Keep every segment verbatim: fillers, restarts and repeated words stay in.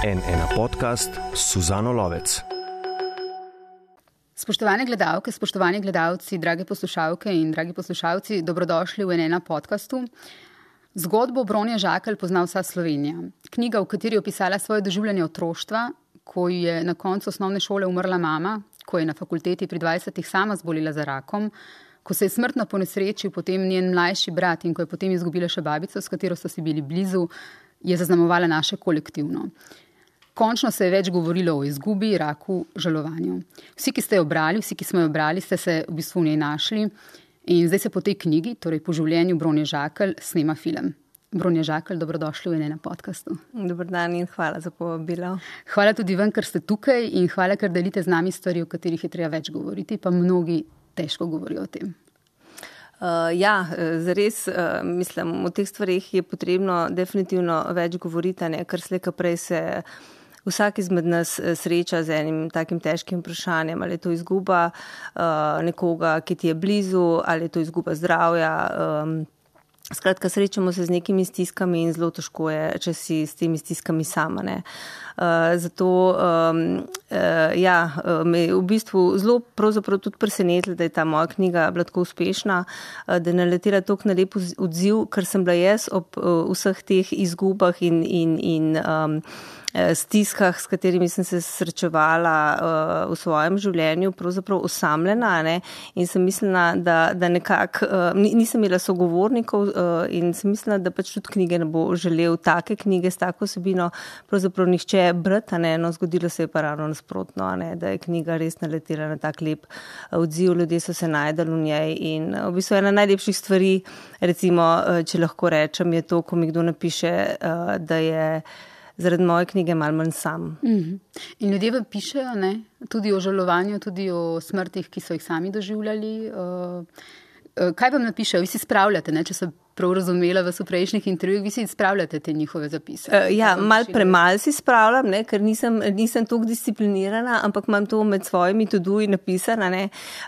en ena podcast s Suzano Lovec. Spoštovane gledalke, spoštovani gledalci, drage poslušalke in dragi poslušalci, dobrodošli v en ena podcastu. Zgodbo Bronje Žakelj pozna vsa Slovenija. Knjiga, v kateri je opisala svoje doživljanje otroštva, ko je na koncu osnovne šole umrla mama, ko je na fakulteti pri dvajsetih sama zbolila za rakom, ko se je smrtno ponesrečil potem njen mlajši brat in ko je potem izgubila še babico, s katero so si bili blizu, je zaznamovala naše kolektivno. Končno se je več govorilo o izgubi, raku, žalovanju. Vsi, ki ste jo brali, vsi, ki smo jo brali, ste se v bistvu v njej našli in zdaj se po tej knjigi, torej po življenju Bronje Žakelj, snema film. Bronje Žakelj, dobrodošli v en ena podcastu. Dober dan in hvala za povabilo. Hvala tudi vam, ker ste tukaj in hvala, ker delite z nami stvari, o katerih je treba več govoriti, pa mnogi težko govorijo o tem. Uh, ja, zares, uh, mislim, o teh stvarih je potrebno definitivno več govoriti, ne, ker slejka prej se vsak izmed nas sreča z enim takim težkim vprašanjem, ali je to izguba uh, nekoga, ki ti je blizu, ali je to izguba zdravja. Um, Skratka, srečamo se z nekimi stiskami in zelo težko je, če si s temi stiskami sama. Ne. Uh, zato um, uh, ja, me je v bistvu zelo pravzaprav tudi presenetilo, da je ta moja knjiga bila tako uspešna, uh, da je naletela toliko na lep odziv, ker sem bila jaz ob uh, vseh teh izgubah in, in, in um, stiskah, s katerimi sem se srečevala uh, v svojem življenju, pravzaprav osamljena, ne, in sem mislila, da, da nekako, uh, nisem imela sogovornikov uh, in sem mislila, da pač tudi knjige ne bo želel take knjige s tako vsebino, pravzaprav nihče brati, ne, no, zgodilo se je pa ravno nasprotno, ne, da je knjiga res naletela na tak lep odziv, ljudje so se najdali v njej in v bistvu ena najlepših stvari, recimo, če lahko rečem, je to, ko mi kdo napiše, uh, da je zaradi moje knjige malo manj sam. Mm-hmm. In ljudje vam pišejo, ne? Tudi o žalovanju, tudi o smrtih, ki so jih sami doživljali. Kaj vam napišejo? Vi si spravljate, ne? Če se prav razumela vas v prejšnjih intervjujih, vi si spravljate te njihove zapise? Uh, ja, malo premalj si spravljam, ne? Ker nisem, nisem toliko disciplinirana, ampak imam to med svojimi to-doji napisana, ne?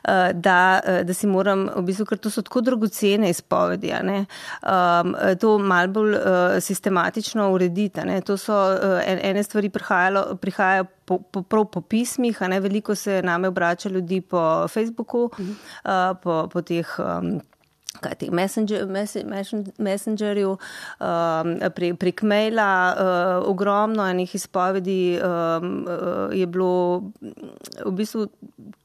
Uh, da, da si moram, v bistvu, ker to so tako dragocene izpovedi, ne? Um, to malo bolj uh, sistematično urediti. Ne? To so uh, ene stvari prihajajo po, po, prav po pismih, a ne? Veliko se name obrača ljudi po Facebooku, uh-huh. uh, po, po teh um, kaj teh messenger, messengerju, um, pre, prek maila, uh, ogromno enih izpovedi um, uh, je bilo v bistvu,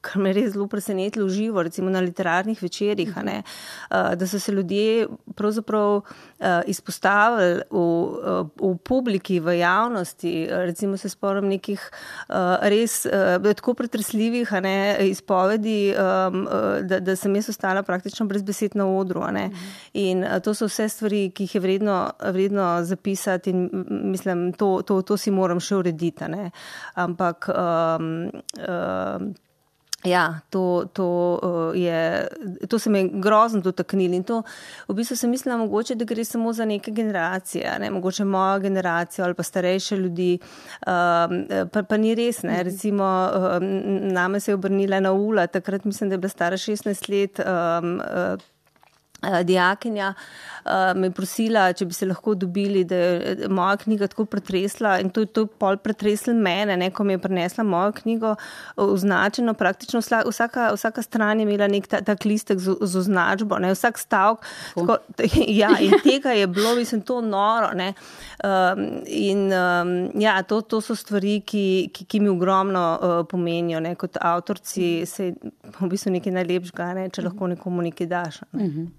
kar me res zelo presenetilo v živo, recimo na literarnih večerih, a ne, uh, da so se ljudje pravzaprav uh, izpostavili v, uh, v publiki, v javnosti, recimo se spomnim nekih uh, res uh, tako pretresljivih, a ne, izpovedi, um, uh, da, da sem jaz ostala praktično brez besed na odru. Ne? In to so vse stvari, ki jih je vredno, vredno zapisati in mislim, to, to, to si moram še urediti. Ne? Ampak um, um, ja, to, to, uh, je, to se me je grozno dotaknili in to v bistvu sem mislila mogoče, da gre samo za neke generacije, ne? Mogoče moja generacija ali pa starejše ljudi, um, pa, pa ni res, ne? Recimo um, name se je obrnila na Ula, takrat mislim, da je bila stara šestnajst let, um, uh, dijakinja uh, me je prosila, če bi se lahko dobili, da je moja knjiga tako pretresla in to je to pol pretreslo mene, ne, ko mi je prinesla mojo knjigo označeno, praktično vsaka, vsaka stran je imela nek ta, tak listek z, z označbo, ne, vsak stavek, tako, ja, in tega je bilo, mislim, to noro, ne, um, in um, ja, to, to so stvari, ki, ki, ki mi ogromno uh, pomenijo, ne, kot avtorci, se v bistvu nekaj najlepšega, ne, če lahko nekomu nekaj daš. Ne. Mhm.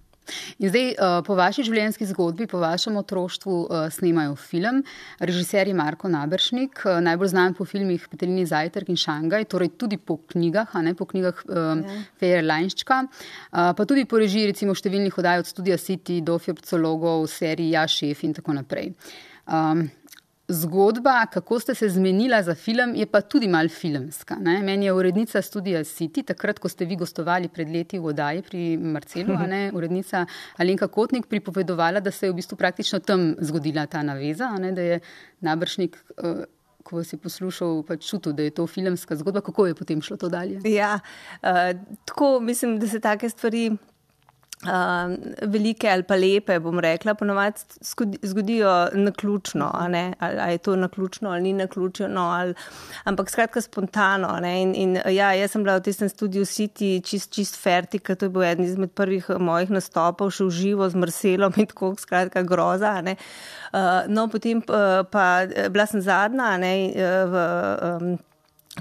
In zdaj, po vaši življenjski zgodbi, po vašem otroštvu snemajo film. Režiser je Marko Naberšnik, najbolj znan po filmih Peteljini zajtrk in Šangaj, torej tudi po knjigah, a ne po knjigah um, Fejer Lajnščka, pa tudi po režiji recimo številnih oddaj od Studia City do Fjorpcologov, seriji Ja, šef in tako naprej. Um, Zgodba, kako ste se zmenila za film, je pa tudi malo filmska. Ne? Meni je urednica Studia City, takrat, ko ste vi gostovali pred leti v oddaji pri Marcelu, a ne? Urednica Alenka Kotnik pripovedovala, da se je v bistvu praktično tam zgodila ta naveza, a ne? Da je Naberšnik, ko vas je poslušal, pač čutil, da je to filmska zgodba. Kako je potem šlo to dalje? Ja, uh, tako mislim, da se take stvari Uh, velike ali pa lepe, bom rekla, ponovadi zgodijo naključno, a ne, ali, ali je to naključno ali ni naključno, ali, ampak skratka spontano, ne, in, in ja, jaz sem bila v tistem Studio City čist, čist fertika, to je bil eden izmed prvih mojih nastopov, še v živo z Marcelom in tako, skratka groza, ne. Uh, no, potem pa, pa bila sem zadnja, ne, v um,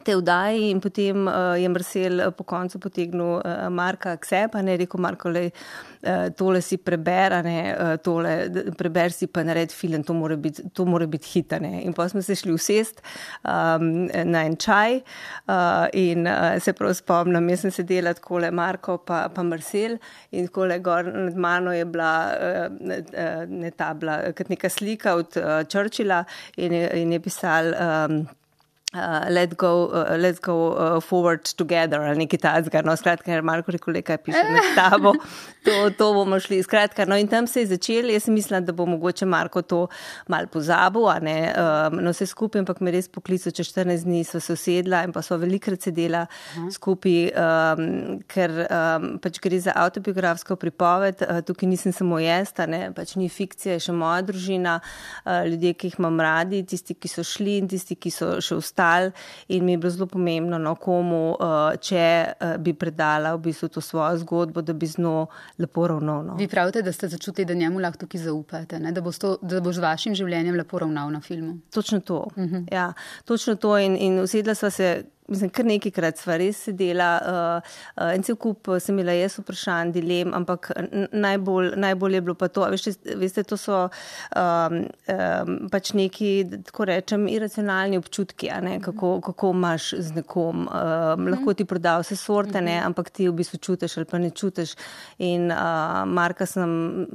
te vdaji in potem uh, je Marcel po koncu potegnil uh, Marka k sebi, ne, rekel Marko, lej, uh, tole si preber, ne, uh, tole preber si pa nared film, to mora biti, to mora biti hit, ne. In pa smo se šli usest um, na en čaj uh, in uh, se prav spomnim, jaz sem sedela takole Marko pa, pa Marcel in takole gor nad mano je bila uh, ne ta bila, kot neka slika od uh, Churchilla in je, in je pisal um, Uh, let go, uh, let's go uh, forward together, ali nekaj tazga, no, skratka, ker Marko rekel, kaj piše med tabo, to, to bomo šli, skratka, no, in tam se je začel, jaz sem mislila, da bo mogoče Marko to mal pozabil, a ne, um, no, vse skupaj, ampak me res poklical, čez štirinajst dni sva se usedla in pa sva velikrat sedela uh-huh. skupaj, um, ker um, pač gre za avtobiografsko pripoved, uh, tukaj nisem samo jaz, a ne, pač ni fikcija, je še moja družina, uh, ljudje, ki jih imam radi, tisti, ki so šli in tisti, ki so še ostali. In mi je bilo zelo pomembno, no, komu, če bi predala v bistvu to svojo zgodbo, da bi z njo lepo ravnal. No. Vi pravite, da ste začutili, da njemu lahko tukaj zaupate, ne? Da bo to, da bo z vašim življenjem lepo ravnal na filmu. Točno to, uh-huh. ja, točno to in, in usedla sva se, mislim, kar nekajkrat sva res sedela, uh, uh, en cel kup sem imela jaz vprašanj, dilem, ampak najbolj, najbolj je bilo pa to, veste, veste to so um, um, pač neki, tako rečem, iracionalni občutki, a ne, kako, kako imaš z nekom, um, lahko ti proda vse sorte, ne, ampak ti v bistvu čutiš ali pa ne čutiš in uh, Marka sem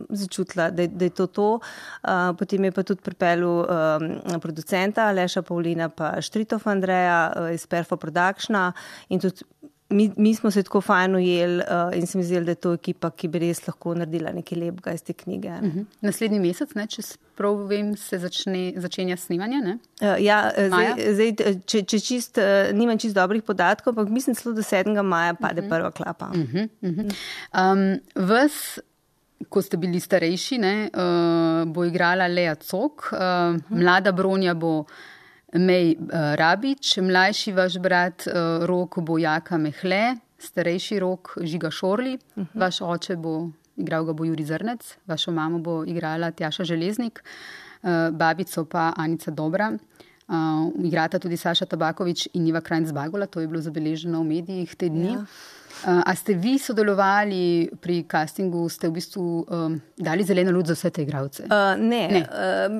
začutila, da, da je to to, uh, potem je pa tudi pripeljal um, producenta Aleša Pavlina pa Štritov Andreja uh, iz Perfo Productiona in tudi mi, mi smo se tako fajn ujeli uh, in se mi zdelo, da je to ekipa, ki bi res lahko naredila nekaj lepega iz te knjige. Uh-huh. Naslednji mesec, ne, če prav vem, se začne, začenja snemanje, ne? Uh, ja, zdaj, zdaj če, če čist, uh, nimam čist dobrih podatkov, ampak mislim celo do sedmega maja pade uh-huh. prva klapa. Uh-huh. Uh-huh. Um, vas, ko ste bili starejši, ne, uh, bo igrala Lea Cok, uh, uh-huh. mlada Bronja bo Mej uh, Rabič, mlajši vaš brat uh, Rok bo Jaka Mehle, starejši Rok Žiga Šorli, uh-huh. vaš oče bo igral ga bo Juri Zrnec, vašo mamo bo igrala Tjaša Železnik, uh, babico pa Anica Dobra. Uh, igrata tudi Saša Tabaković in Iva Krajnc-Bagola, to je bilo zabeleženo v medijih te dni. Ja. Uh, a ste vi sodelovali pri castingu, ste v bistvu um, dali zeleno luč za vse te igralce? Uh, ne, ne. Uh,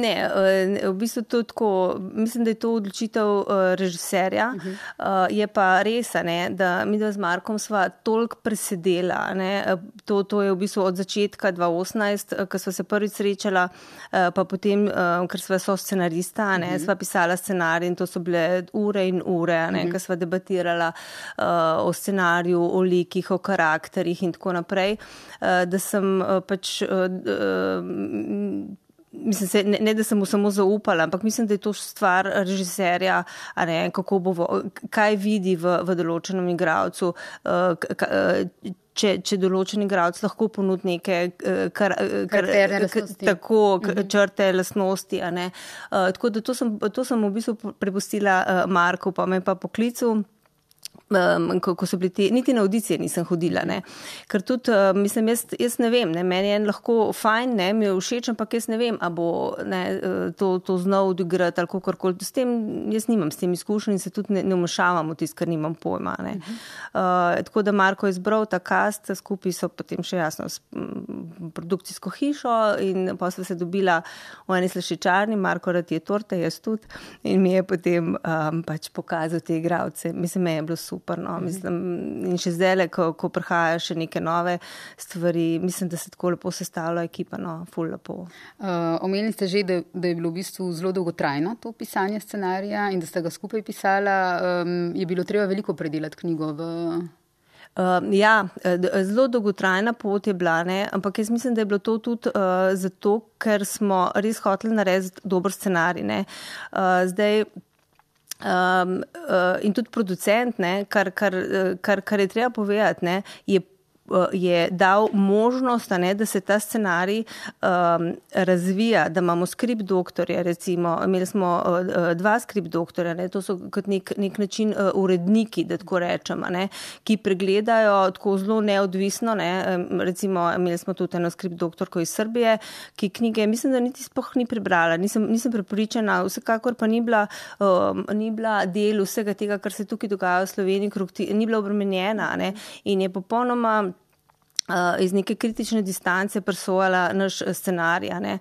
ne uh, v bistvu to tako, mislim, da je to odločitev uh, režiserja, uh-huh. uh, je pa res, ne, da mi dva z Markom sva toliko presedela, ne, to, to je v bistvu od začetka dva tisoč osemnajst, ko sva se prvič srečala, uh, pa potem, uh, ker sva so scenarista, ne, uh-huh. sva pisala scenarij in to so bile ure in ure, ne, uh-huh. ko sva debatirala uh, o scenariju, o likih, o karakterih in tako naprej, da sem pač, mislim se, ne, ne da sem mu samo zaupala, ampak mislim, da je to stvar režiserja, a ne, kako bo, kaj vidi v, v določenem igralcu, Če, če določen igralec lahko ponudi neke kar, kar, tako, uh-huh. črte, lastnosti. A ne. Uh, tako da to sem, to sem v bistvu prepustila uh, Marku, pa me pa poklical. Um, ko, ko so bili ti, niti na audicije nisem hodila, ne. Ker tudi, uh, mislim, jaz, jaz ne vem, ne, meni je lahko fajn, ne, mi je všeč, ampak jaz ne vem, a bo ne, to, to znal odigrati ali kakorkoli. S tem, jaz nimam s tem izkušenj in se tudi ne, ne vmešavam v tist, ker nimam pojma, ne. Uh-huh. Uh, tako da Marko je izbral ta cast, skupaj so potem še jasno s m, produkcijsko hišo in pa sva se dobila v eni slaščičarni, Marko rad je torte, jaz tudi, in mi je potem um, pač pokazal te igralce. Mislim, me je bilo super, no, mislim, in še zdaj, ko, ko prihajajo še neke nove stvari, mislim, da se tako lepo sestavlja ekipa, no, ful lepo. Uh, omenili ste že, da, da je bilo v bistvu zelo dolgotrajno to pisanje scenarija in da ste ga skupaj pisala, um, je bilo treba veliko predelati knjigo v... Uh, ja, zelo dolgotrajna pot je bila, ne, ampak jaz mislim, da je bilo to tudi uh, zato, ker smo res hoteli narediti dober scenarij, ne. Uh, zdaj, Um, uh, in tudi producent, ne, kar, kar, kar, kar je treba povedati, ne, je je dal možnost, ne, da se ta scenarij um, razvija, da imamo skript doktorja, recimo, imeli smo uh, dva skript doktorja, ne, to so kot nek, nek način uh, uredniki, da tako rečemo, ne, ki pregledajo tako zelo neodvisno, ne, recimo, imeli smo tudi eno skript doktorko iz Srbije, ki knjige, mislim, da niti sploh ni prebrala, nisem, nisem prepričana, vsekakor pa ni bila, um, ni bila del vsega tega, kar se tukaj dogaja v Sloveniji, ni bila obremenjena, ne, in je popolnoma Uh, iz neke kritične distance presojala naš scenarij. Uh,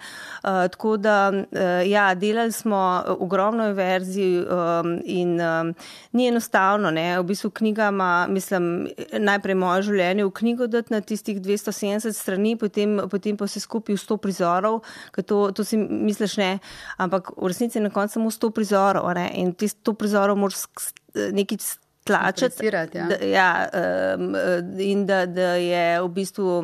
tako da, uh, ja, delali smo ogromno verzij um, in um, ni enostavno, ne, v bistvu knjiga ima, mislim, najprej moje življenje v knjigo dati na tistih dvesto sedemdeset strani, potem, potem pa vse skupaj v sto prizorov, ker to, to si misliš, ne, ampak v resnici je na koncu samo sto prizorov, ne, in tih sto prizorov moraš nekaj tlačati, ja. Da, ja, um, in da, da je v bistvu,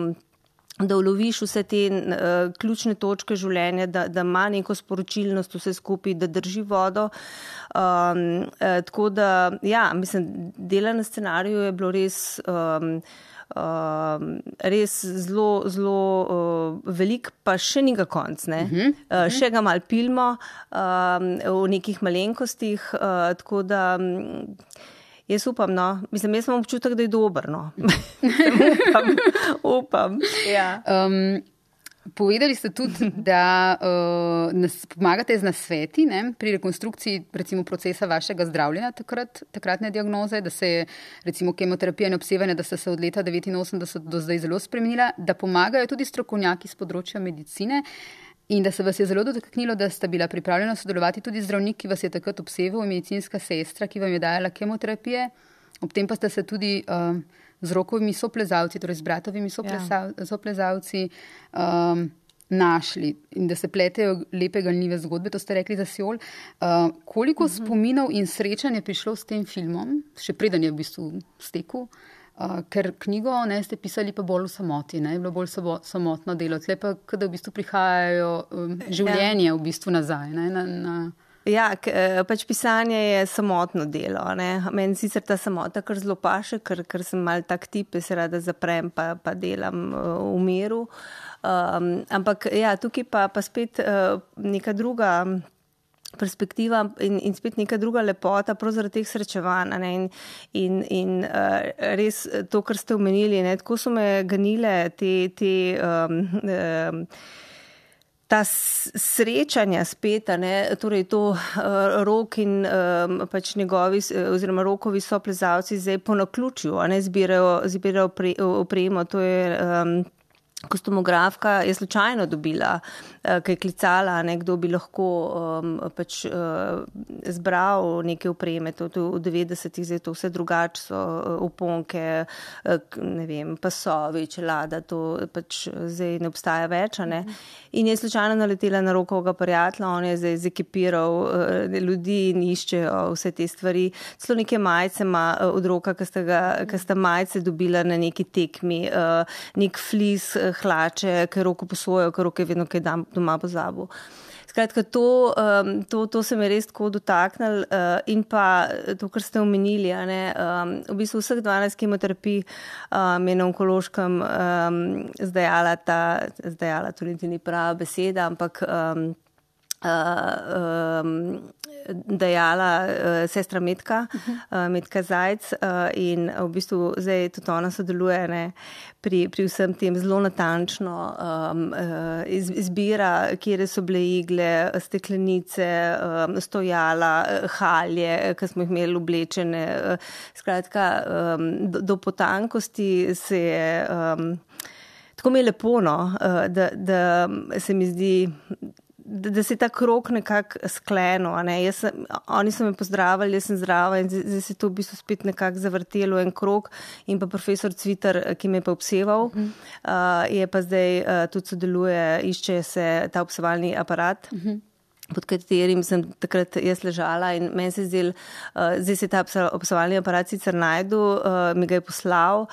da uloviš vse te uh, ključne točke življenja, da, da ima neko sporočilnost vse skupaj, da drži vodo. Um, uh, tako da, ja, mislim, dela na scenariju je bilo res, um, um, res zelo, zelo uh, velik, pa še njega konc, ne? Uh-huh. Uh, še ga malo pilmo um, v nekih malenkostih, uh, tako da jaz upam, no. Mislim, jaz imam občutek, da je dober, no. upam, upam, ja. Um, povedali ste tudi, da uh, nas pomagate z nasveti, ne, pri rekonstrukciji, recimo, procesa vašega zdravljenja takrat, takratne diagnoze, da se je, recimo, kemoterapija in obsevanje, da sta se od leta devetinosemdeset do zdaj zelo spremenila, da pomagajo tudi strokovnjaki z področja medicine, in da se vas je zelo dotaknilo, da sta bila pripravljena sodelovati tudi zdravnik, ki vas je takrat obseval, in medicinska sestra, ki vam je dajala kemoterapije. Ob tem pa ste se tudi uh, z Rokovimi soplezalci, torej z bratovimi sopleza, ja. soplezalci, um, našli in da se pletejo lepe ganljive zgodbe, to ste rekli za Seol. Uh, koliko uh-huh. spominov in srečanj je prišlo s tem filmom, še preden je v bistvu stekel? Uh, ker knjigo, ne, ste pisali pa bolj v samoti, ne, je bilo bolj samo, samotno delo. Tle pa, kada v bistvu prihajajo um, življenje v bistvu nazaj, ne, na... na... Ja, k, pač pisanje je samotno delo, ne. Meni sicer ta samota kar zelo paše, ker, ker sem mal tak tip, da se rada zaprem pa, pa delam uh, v miru. Um, ampak ja, tukaj pa, pa spet uh, neka druga perspektiva in, in spet neka druga lepota prav zaradi teh srečevanj, ne, in, in, in uh, res to, kar ste omenili, ne, tako so me ganile te, te um, um, ta srečanja spet, ne, torej to uh, Rok in um, pač njegovi oziroma Rokovi soplezalci zdaj po naključju, a ne, zbirajo, zbirajo pre, opremo, to je um, kostumografka je slučajno dobila, kaj je klicala, ne, kdo bi lahko um, pač uh, zbral neke opreme, to, to v devetdesetih zdaj to vse drugače so oponke, uh, ne vem, pasovi, čelada, to pač zdaj ne obstaja več, ne. In je slučajno naletela na Rokovega prijatelja, on je zdaj zekipiral uh, ljudi in iščejo vse te stvari. Celo neke majice ima uh, od Roka, ki sta, ga, ki sta majice dobila na neki tekmi, uh, nek flis, hlače, ker Roko posojo, ker Roko je vedno kaj doma pozabil. Skratka, to, um, to, to se me res tako dotaknil uh, in pa to, kar ste omenili, a ne, um, v bistvu vseh dvanajst kemoterapij um, je na onkološkem um, zdajala ta, zdajala, to niti ni prava beseda, ampak um, uh, um, dajala uh, sestra Metka, uh, Metka Zajc uh, in v bistvu zdaj tudi ona sodeluje, ne, pri, pri vsem tem zelo natančno um, uh, iz, izbira, kjere so bile igle, steklenice, um, stojala, halje, ki smo jih imeli oblečene. Uh, skratka, um, do, do potankosti se je um, tako mi je lepo, no, uh, da, da se mi zdi, Da, da se je ta krog nekako sklenil. Ne? Jaz sem, oni so me pozdravili, jaz sem zdrava in zdaj se je to v bistvu spet nekako zavrtelo en krog in pa profesor Cvitar, ki me je pa obseval, uh-huh. uh, je pa zdaj uh, tudi sodeluje, išče se ta obsevalni aparat. Uh-huh. pod katerim sem takrat jaz ležala in meni se zdel, uh, zdaj se je ta obsevalni aparat sicer najdu, uh, mi ga je poslal.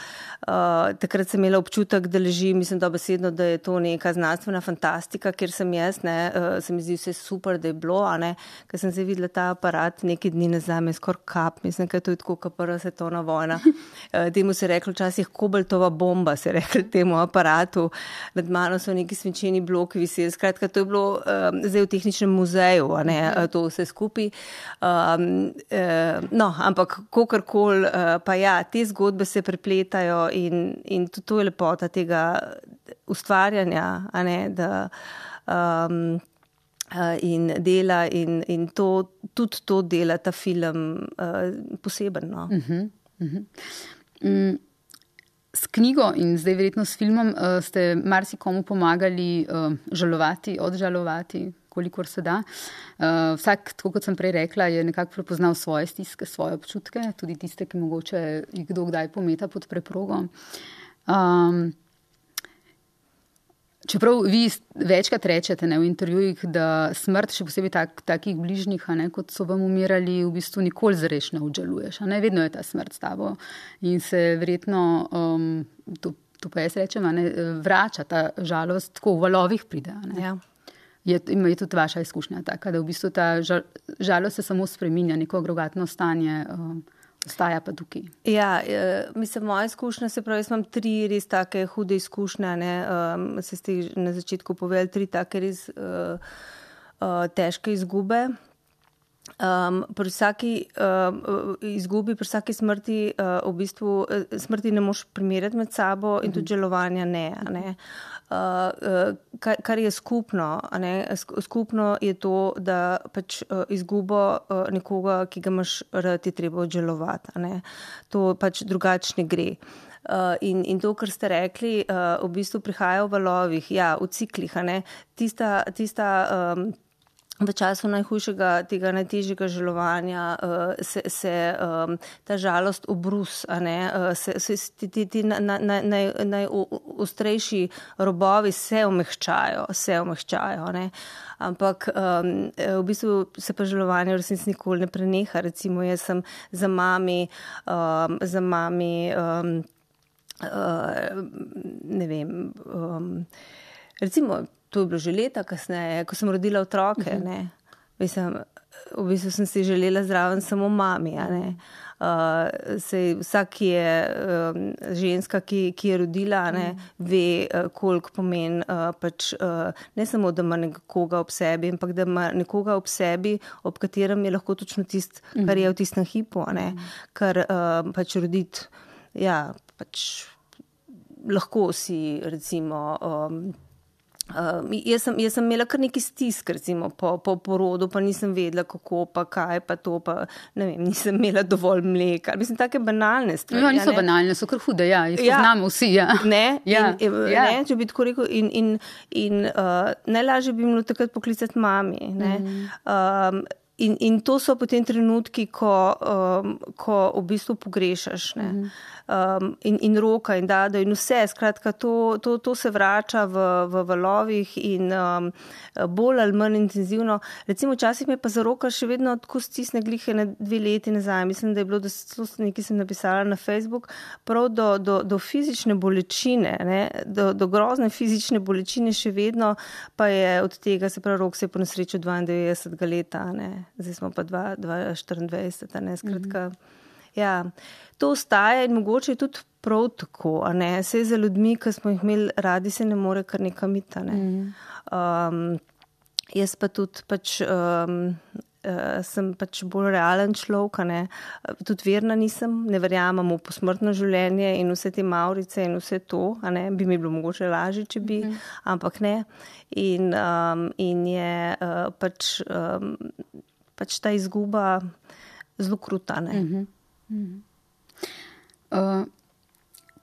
Uh, takrat sem imela občutek, da leži, mislim dobesedno, da je to neka znanstvena fantastika, kjer sem jaz, ne, uh, se mi zdi vse super, da je bilo, a ne, ker sem zdaj videla ta aparat nekaj dni nazaj, me skor kap, mislim, ker to je tako, kot prva svetovna vojna. Uh, temu se je reklo včasih kobaltova bomba, se je reklo temu aparatu. Nad mano so neki svinčeni bloki viseli, skratka, to je bilo uh, zdaj v tehničnem muzeju, a ne, to vse skupaj. Um, uh, no, ampak kakorkoli, uh, pa ja, te zgodbe se prepletajo in, in to, to je lepota tega ustvarjanja, a ne, da um, uh, in dela in, in to, tudi to dela ta film uh, poseben, no. Uh-huh, uh-huh. Mm. S knjigo in zdaj verjetno s filmom uh, ste marsikomu pomagali uh, žalovati, odžalovati, kolikor se da. Uh, vsak, tako kot sem prej rekla, je nekako prepoznal svoje stiske, svoje občutke, tudi tiste, ki mogoče jih kdo kdaj pometa pod preprogo. Um, čeprav vi večkrat rečete, ne, v intervjujih, da smrt, še posebej tak, takih bližnjih, a ne, kot so vam umirali, v bistvu nikoli zares ne obžaluješ. A ne, vedno je ta smrt s tabo in se verjetno, um, to, to pa jaz rečem, a ne, vrača ta žalost, tako v valovih pride. A ne. Ja. Je, je tudi vaša izkušnja taka, da v bistvu ta žal, žalost se samo spreminja, neko agregatno stanje, um, ostaja pa tukaj. Ja, mislim, moja izkušnja, se pravi, jaz imam tri res take hude izkušnje, ne, um, se ste na začetku povedali, tri take res uh, uh, težke izgube. Um, pri vsaki uh, izgubi, pri vsaki smrti, uh, v bistvu smrti ne moš primerjati med sabo in tudi žalovanja ne. ne. Uh, uh, kar, kar je skupno, a ne, skupno je to, da pač uh, izgubo uh, nekoga, ki ga imaš rad, je treba odžalovati. A ne. To pač drugačne gre. Uh, in, in to, kar ste rekli, uh, v bistvu prihaja v valovih, ja, v ciklih, a ne. Tista, tista um, v času najhujšega, tega najtežjega žalovanja uh, se, se um, ta žalost obrus, a ne, uh, se, se ti, ti, ti na, na, naj, najostrejši robovi se omehčajo, se omehčajo, ne. Ampak um, v bistvu se pa žalovanje v resnici nikoli ne preneha. Recimo, jaz sem za mami, um, za mami, um, uh, ne vem, um, recimo, to je bilo že leta kasneje, ko sem rodila otroke, uh-huh. ne. Mislim, v bistvu sem si želela zraven samo mami, a ne. Uh, sej vsak, ki je um, ženska, ki, ki je rodila, ne, uh-huh. ve, uh, koliko pomeni uh, pač uh, ne samo, da ima nekoga ob sebi, ampak da ima nekoga ob sebi, ob katerem je lahko točno tist, uh-huh. kar je v tistem hipu, a ne. Uh-huh. Kar uh, pač roditi, ja, pač lahko si recimo um, Uh, jaz, sem, jaz sem imela kar neki stisk, recimo, po, po porodu, pa nisem vedela, kako, pa kaj, pa to, pa ne vem, nisem imela dovolj mleka. Mislim, take banalne stvari. No, niso ja, banalne, so kar hude, ja, jih ja. Poznamo vsi, ja. Ne, ja. In, ja. ne, če bi tako rekel, in, in, in uh, najlažje bi bilo takrat poklicati mami, ne. Mm. Um, in, in to so potem trenutki, ko, um, ko v bistvu pogrešaš, ne. Mm. Um, in, in roka in dado in vse, skratka, to, to, to se vrača v, v valovih in um, bolj ali manj intenzivno. Recimo, včasih me pa za roka še vedno tako stisne glihe na dve leti nazaj. Mislim, da je bilo, da nekaj sem napisala na Facebook, prav do, do, do fizične bolečine, ne, do, do grozne fizične bolečine še vedno, pa je od tega, se pravi, rok se je po nesreču dvaindevetdesetega leta, ne, zdaj smo pa dva tisoč štiriindvajset, ne, skratka. Mm-hmm. Ja, to ostaja in mogoče je tudi prav tako, a ne, saj za ljudmi, ki smo jih imeli radi, se ne more kar nekam iti, ne. Mm. Um, jaz pa tudi pač, um, uh, sem pač bolj realen človek, a ne, tudi verna nisem, ne verjamem v posmrtno življenje in vse te mavrice in vse to, a ne, bi mi bilo mogoče lažje, če bi, mm. ampak ne. In, um, in je uh, pač, um, pač ta izguba zelo kruta, ne. Mm-hmm. Uh,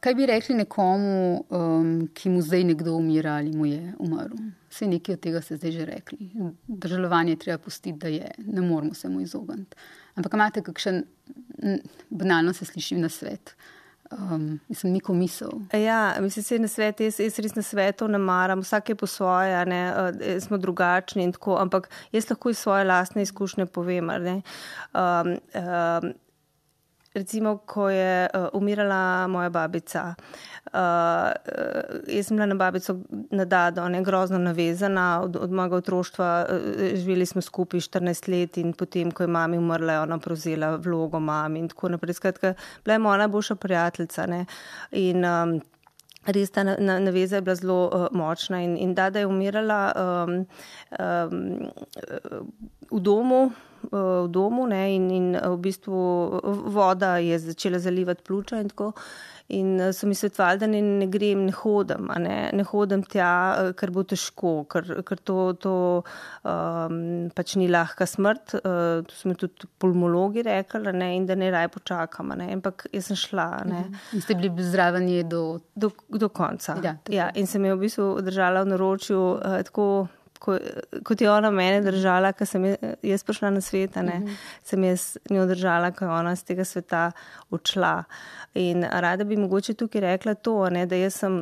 kaj bi rekli nekomu, um, ki mu zdaj nekdo umira ali mu je umrl? Vse nekaj od tega ste zdaj že rekli. Držalovanje je treba pustiti, da je. Ne moramo se mu izogniti. Ampak imate kakšen, banalno se sliši na svet, Um, mislim, niko misel. Ja, mislim, se na svet, jaz, jaz res na svetu ne maram, vsak je po svoje, ne, smo drugačni in tako, ampak jaz lahko iz svoje lastne izkušnje povem, ne. Um, um, recimo, ko je uh, umirala moja babica, uh, jaz sem bila na babico na dado, ne, grozno navezana, od, od mojega otroštva uh, živeli smo skupaj štirinajst let in potem, ko je mami umrla, je ona prevzela vlogo mami in tako naprej. Skratka, bila je moja najboljša prijateljica, ne, in um, res ta naveza je bila zelo uh, močna in, in dada je umirala um, um, v domu, v domu, ne, in, in v bistvu voda je začela zalivati pljuča in tako. In so mi svetovali, da ne, ne grem, ne hodim, a ne, ne hodim tja, ker bo težko, ker, ker to, to um, pač ni lahka smrt, uh, to so mi tudi pulmologi rekli, ne, in da ne raj počakam, ne, ampak jaz sem šla, ne. In ste bili zraven je do... Do, do konca. Ja, ja, in sem jo v bistvu držala v naročju uh, tako, ko, kot je ona mene držala, ko sem jaz prišla na svet, ne, uh-huh. sem jaz njo držala, ko je ona z tega sveta odšla. In rada bi mogoče tukaj rekla to, ne, da jaz sem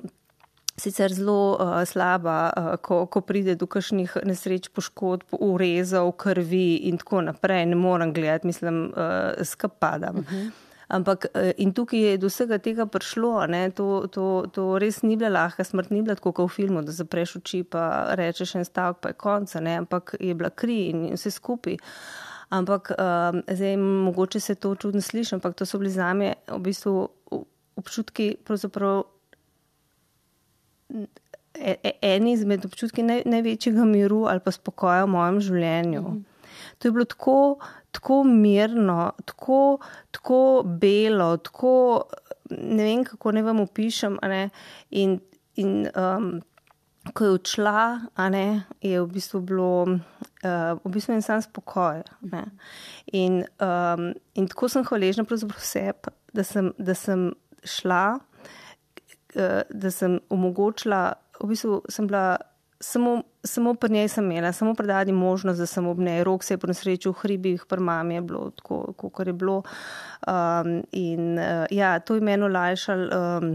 sicer zelo uh, slaba, uh, ko, ko pride do kakšnih nesreč, poškodb, urezov, krvi in tako naprej. Ne moram gledati, mislim, uh, skapadam. Uh-huh. Ampak in tukaj je do vsega tega prišlo, ne, to, to, to res ni bila lahka smrt, ni bila tako kot v filmu, da zapreš oči pa rečeš en stavek pa je konca, ne, ampak je bila kri in vse skupaj. Ampak um, zdaj mogoče se to čudno sliši, ampak to so bili zame v bistvu občutki pravzaprav eni izmed občutki naj, največjega miru ali pa spokoja v mojem življenju. Mm-hmm. To je bilo tako, tako mirno, tako, tako belo, tako, ne vem, kako ne vam opišem, a ne, in, in um, ko je odšla, a ne, je v bistvu bilo, uh, v bistvu en sam spokoj, ne, in, um, in tako sem hvaležna pravzaprav sebi, da sem, da sem šla, uh, da sem omogočila, v bistvu sem bila Samo, samo pri njej sem imela, samo predati možnost, da sem ob njej. Rok se je po nesreči v hribih, pri mami je bilo tako, kakor je bilo. Um, in uh, ja, to je meni olajšalo, um,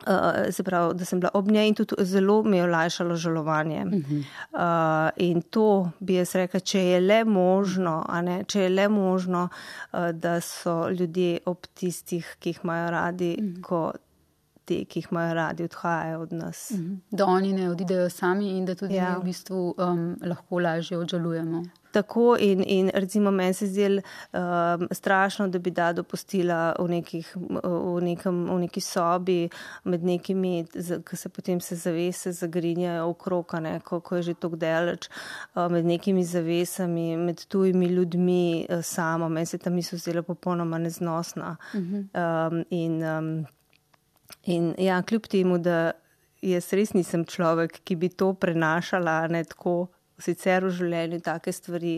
uh, se pravi, da sem bila ob njej in tudi zelo mi je olajšalo žalovanje. Uh-huh. Uh, in to bi jaz rekla, če je le možno, a ne, če je le možno, uh, da so ljudje ob tistih, ki jih imajo radi, uh-huh. ko te, ki jih imajo radi, odhajajo od nas. Da oni ne odidejo sami in da tudi ja. v bistvu um, lahko lažje odžalujemo. Tako in, in recimo meni se zdel um, strašno, da bi da dopustila v, nekih, v, nekem, v neki sobi med nekimi, ki se potem se zavese zagrinjajo okrog, ne, ko, ko je že tako daleč, uh, med nekimi zavesami, med tujimi ljudmi uh, samo. Meni se ta misel zdela popolnoma neznosna. Uh-huh. Um, in um, In ja, kljub temu, da jaz res nisem človek, ki bi to prenašala, ne tako, sicer v življenju take stvari,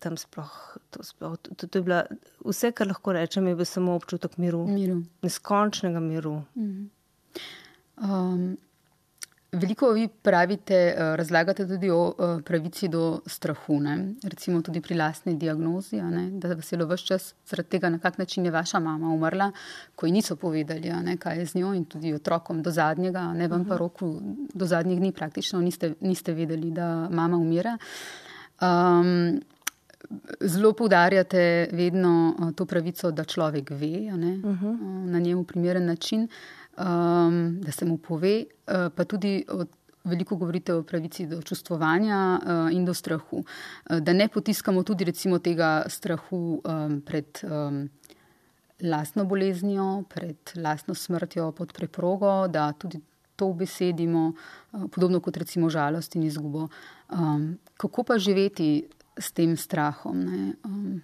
tam sploh, to sploh, to, to, to je bila, vse, kar lahko rečem, je bil samo občutek miru. Miru. Neskončnega miru. Mm-hmm. Um, veliko vi pravite, razlagate tudi o pravici do strahu, ne? Recimo tudi pri lastni diagnozi, ne? Da vas je ves čas zaradi tega, na kak način je vaša mama umrla, ko ji niso povedali, ne? Kaj je z njo in tudi otrokom do zadnjega, ne vam pa roku, do zadnjih dni praktično niste, niste vedeli, da mama umira. Um, zelo poudarjate vedno to pravico, da človek ve, ne? Uh-huh. Na njemu primeren način. Um, da se mu pove, uh, pa tudi od, veliko govorite o pravici do čustvovanja uh, in do strahu. Uh, da ne potiskamo tudi recimo tega strahu um, pred um, lastno boleznijo, pred lastno smrtjo pod preprogo, da tudi to besedimo, uh, podobno kot recimo žalost in izgubo. Um, kako pa živeti s tem strahom, ne? Um,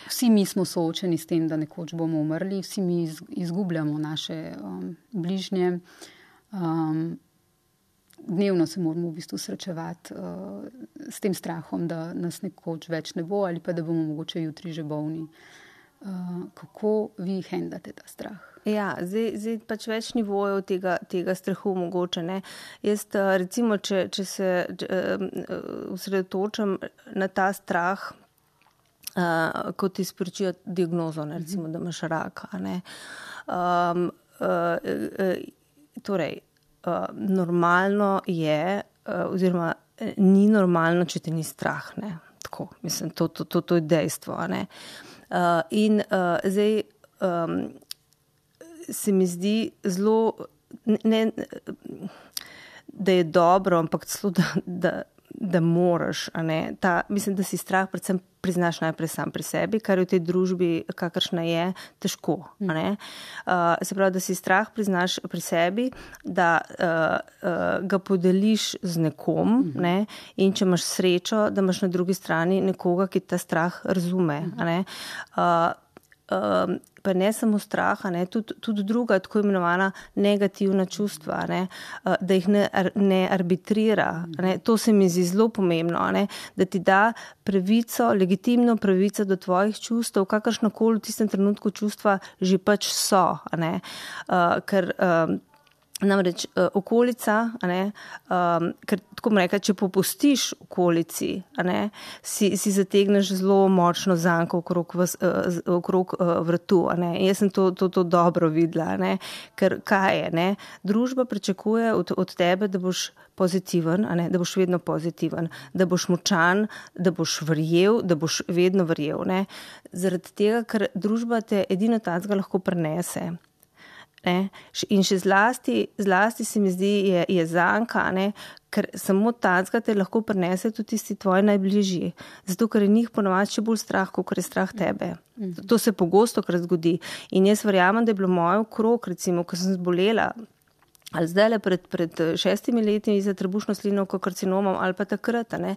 Vsi mi smo soočeni s tem, da nekoč bomo umrli, vsi mi izgubljamo naše um, bližnje. Um, dnevno se moramo v bistvu srečevati uh, s tem strahom, da nas nekoč več ne bo ali pa da bomo mogoče jutri že bolni. Uh, kako vi hendate ta strah? Ja, zdaj, zdaj pač več nivojev tega, tega strahu mogoče, ne. Jaz recimo, če, če se osredotočam na ta strah, Uh, kot ti sporočijo diagnozo, ne, recimo, da imaš raka. Ne. Um, uh, uh, torej, uh, normalno je, uh, oziroma ni normalno, če te ni strah, ne. Tako, mislim, to, to, to, to je dejstvo, ne. Uh, in uh, zdaj um, se mi zdi zelo, ne, da je dobro, ampak celo, da, da, da moraš, a ne. Ta, mislim, da si strah predvsem priznaš najprej sam pri sebi, kar je v tej družbi, kakršna je, težko, a ne. Uh, se pravi, da si strah priznaš pri sebi, da uh, uh, ga podeliš z nekom, uh-huh. ne, in če imaš srečo, da imaš na drugi strani nekoga, ki ta strah razume, uh-huh. a ne. Uh, Um, pa ne samo straha, ne, tudi, tudi druga tako imenovana negativna čustva, ne, uh, da jih ne, ne arbitrira. Ne, to se mi zdi zelo pomembno, ne, da ti da pravico, legitimno pravico do tvojih čustev, kakršnokoli v tistem trenutku čustva že pač so. Ne, uh, ker um, namreč uh, okolica, a ne, um, ker tako bom rekla, če popustiš okolici, a ne, si, si zategneš zelo močno zanko okrog, vas, uh, okrog uh, vrtu, a ne. Jaz sem to, to, to dobro videla, a ne, ker kaj je, ne, družba pričakuje od, od tebe, da boš pozitiven, a ne, da boš vedno pozitiven, da boš močan, da boš verjel, da boš vedno verjel, ne. Zaradi tega, ker družba te edino tacga lahko prenese. Ne? In še zlasti, zlasti se mi zdi, je, je zanka, ne? Ker samo tacga te lahko prenese tudi tisti tvoji najbližji. Zato, ker je njih ponovadi še bolj strah, kot je strah tebe. To se pogosto krat zgodi. In jaz verjamem, da je bilo moje okrog, recimo, ko sem zbolela, ali zdaj pred, pred šestimi leti za trebušno slinavko karcinomom ali pa takrat, ne,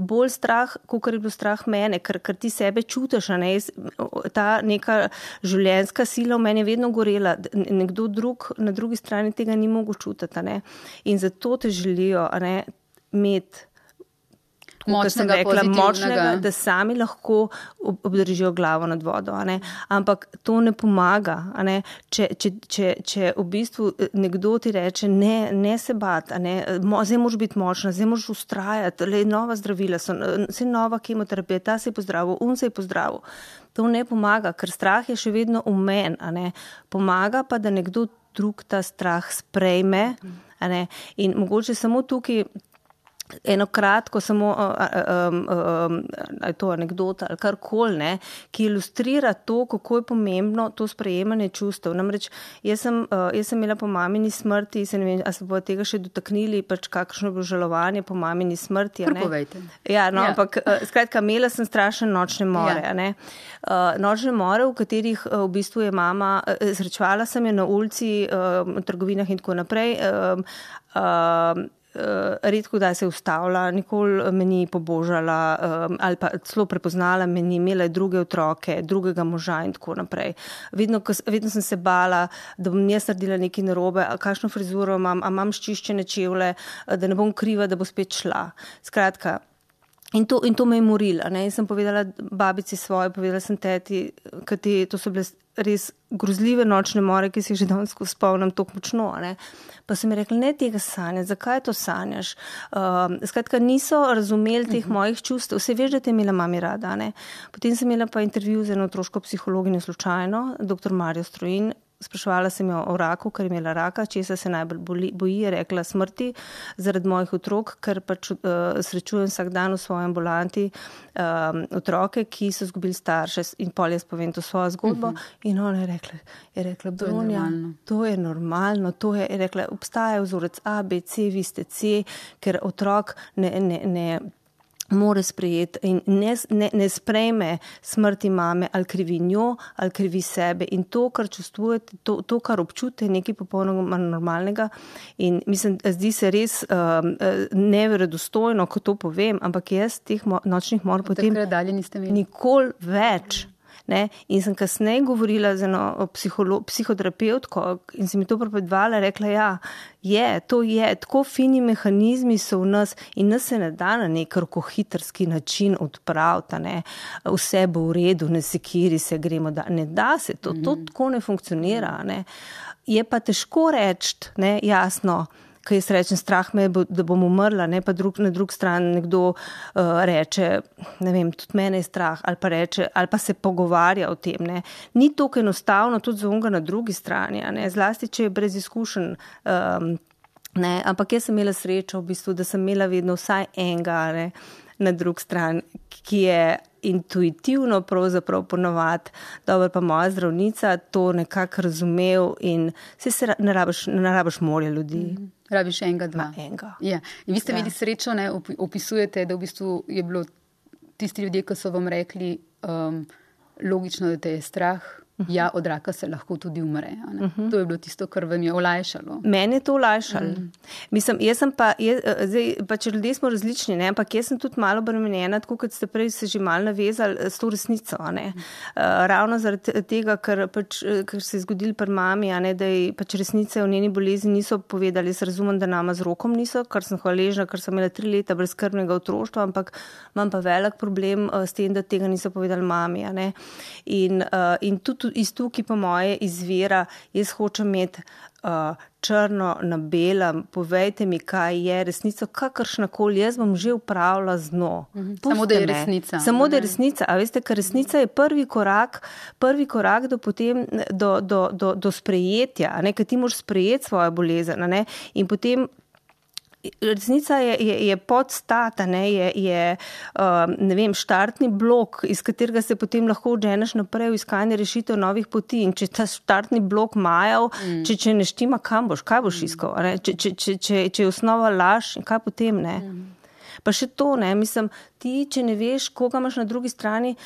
bolj strah, kot je bilo strah mene, ker, ker ti sebe čutiš, ne, ta neka življenjska sila v meni je vedno gorela, nekdo drug na drugi strani tega ni mogel čutiti, ne, in zato te želijo, ne, imeti močnega, rekla, močnega, da sami lahko obdržijo glavo nad vodo, a ne. Ampak to ne pomaga, a ne. Če, če, če, če v bistvu nekdo ti reče, ne, ne se bat, a ne, zdaj moraš biti močna, zdaj moraš ustrajati, le nova zdravila so, vse nova kemoterapija, ta se je pozdravil, un se je pozdravil. To ne pomaga, ker strah je še vedno v meni, a ne. Pomaga pa, da nekdo drug ta strah sprejme, a ne. In mogoče samo tukaj eno kratko, samo um, um, um, to anekdota ali karkoli, ne, ki ilustrira to, kako je pomembno to sprejemanje čustev. Namreč, jaz sem, uh, jaz sem imela po mamini smrti, se ne vem, a se bo tega še dotaknili, pač kakšno je bilo žalovanje po mamini smrti. Prepovejte. Ja, no, ja. Ampak uh, skratka, imela sem strašne nočne more, ja. Ne. Uh, nočne more, v katerih uh, v bistvu je mama, uh, srečevala sem je na ulici, uh, v trgovinah in tako naprej, uh, uh, Uh, redko da se je ustavila, nikoli me ni pobožala um, ali pa celo prepoznala me ni, imela je druge otroke, drugega moža in tako naprej. Vedno, vedno sem se bala, da bom jaz naredila nekaj narobe, kakšno frizuro imam, a imam ščiščene čevlje, da ne bom kriva, da bo spet šla. Skratka, in to, in to me je morila. Ne? In sem povedala babici svoje, povedala sem teti, kati, to so bile res grozljive nočne more, ki si jih že danes spomnim tako močno. Ne? Pa so mi rekli, ne tega sanjaš, zakaj to sanjaš? Um, skratka, niso razumeli teh uh-huh. mojih čustev. Vse veš, da te je imela mami rada. Ne? Potem sem imela pa intervju z eno otroško psihologinjo slučajno, doktor Marijo Strojin. Spraševala sem jo o raku, ker je imela raka, česa se najbolj boli, boji, je rekla smrti zaradi mojih otrok, ker pač uh, srečujem vsak dan v svoji ambulanti um, otroke, ki so izgubili starše in pol jaz povem to svojo zgodbo. Uh-huh. In ona je rekla, je rekla, Bronja, to je normalno, to je, je rekla, obstaja vzorec A, B, C, vi ste C, ker otrok ne, ne, ne more sprejeti in ne, ne, ne sprejme smrti mame ali krivi njo, ali krivi sebe. In to, kar čustvujete, to, to kar občutite, je nekaj popolnoma normalnega. In mislim, zdi se res um, neverodostojno, ko to povem, ampak jaz teh mo- nočnih mor potem nikoli več. Ne? In sem kasneje govorila z eno psiholo- psihoterapevtko in se mi to prepovedala, rekla, ja, je, to je, tako fini mehanizmi so v nas in nas se ne da na nek rokohitrski način odpraviti, ne, vse bo v redu, ne sekiri se gremo, da ne da se, to, to tako ne funkcionira, ne. Je pa težko reči, ne, jasno, kaj jaz rečem, strah me, da bom umrla, ne, pa drug, na drug stran nekdo uh, reče, ne vem, tudi mene je strah, ali pa reče, ali pa se pogovarja o tem, ne. Ni tako enostavno tudi za onega na drugi strani, ne, zlasti, če je brez izkušenj, um, ne, ampak jaz sem imela srečo v bistvu, da sem imela vedno vsaj enega, ne, na drug stran, ki je intuitivno pravzaprav ponovati, dobro pa moja zdravnica to nekako razumel in se, se ne rabiš, ne rabiš morja ljudi. Mm. Rabiš enega, dva. Ma, enega. Ja. In vi ste ja. imeli srečo, ne, opisujete, da v bistvu je bilo tisti ljudje, ki so vam rekli um, logično, da te je strah, ja, od raka se lahko tudi umre. Ne? Uh-huh. To je bilo tisto, kar vam je olajšalo. Mene je to olajšalo. Mm. Mislim, jaz sem pa, jaz, zdaj, pač ljudje smo različni, ne? Ampak jaz sem tudi malo obremenjena, tako kot ste prej se že malo navezali s to resnico. Ne? Mm. Uh, ravno zaradi tega, ker, pač, ker se je zgodil pri mami, a ne, da je pač resnice o njeni bolezni niso povedali. Jaz razumem, da nama z rokom niso, kar sem hvaležna, ker sem imela tri leta brezskrbnega otroštva, ampak imam pa velik problem uh, s tem, da tega niso povedali mami. A ne? In, uh, in tudi iz tukaj po moje izvira, jaz hočem imeti uh, črno na belem, povejte mi, kaj je resnica, kakršnakoli, jaz bom že upravila z dno. Mhm. Samo da je resnica. Samo da je resnica, a veste, ker resnica je prvi korak, prvi korak do potem, do, do, do, do sprejetja, a ne, ker ti moraš sprejeti svojo bolezen, a ne, in potem resnica je, je, je podstat, ne, je, je um, ne vem, štartni blok, iz katerega se potem lahko odženeš naprej v iskanje rešitev novih poti. In če ta štartni blok majav, mm. če, če ne štima, kam boš, kaj boš iskal? Ne? Če, če, če, če, če je osnova laž, kaj potem, ne? Mm. Pa še to, ne, mislim, ti, če ne veš, koga imaš na drugi strani,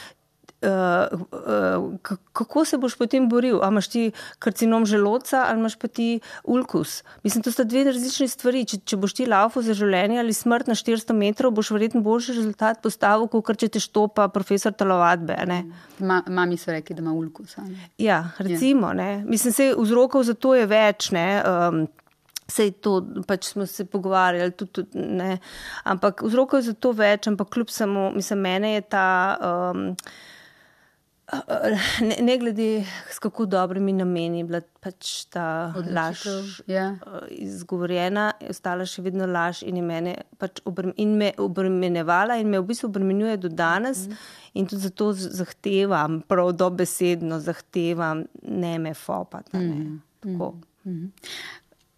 Uh, uh, kako se boš potem boril? A imaš ti karcinom želodca ali imaš pa ti ulkus? Mislim, to sta dve različne stvari. Če, če boš ti laufal za življenje ali smrt na štiristo metrov, boš verjetno boljši rezultat postavil, kot če te štopa profesor telovadbe. Ma, mami so rekli, da ima ulkus. Ja, recimo. Ne. Mislim, se vzrokov za to je več, ne. Um, Sej to, pač smo se pogovarjali, tudi, tudi, ne. Ampak vzrokov je za to več, ampak kljub samo, mislim, mene je ta... Um, Ne, ne glede s kako dobrimi nameni bila pač ta laž yeah. izgovorjena, je ostala še vedno laž in, mene pač obrem, in me obremenjevala in me v bistvu obremenjuje do danes mm. in tudi zato zahtevam, prav dobesedno zahtevam, ne me fopata. Mm. Tako. Mm.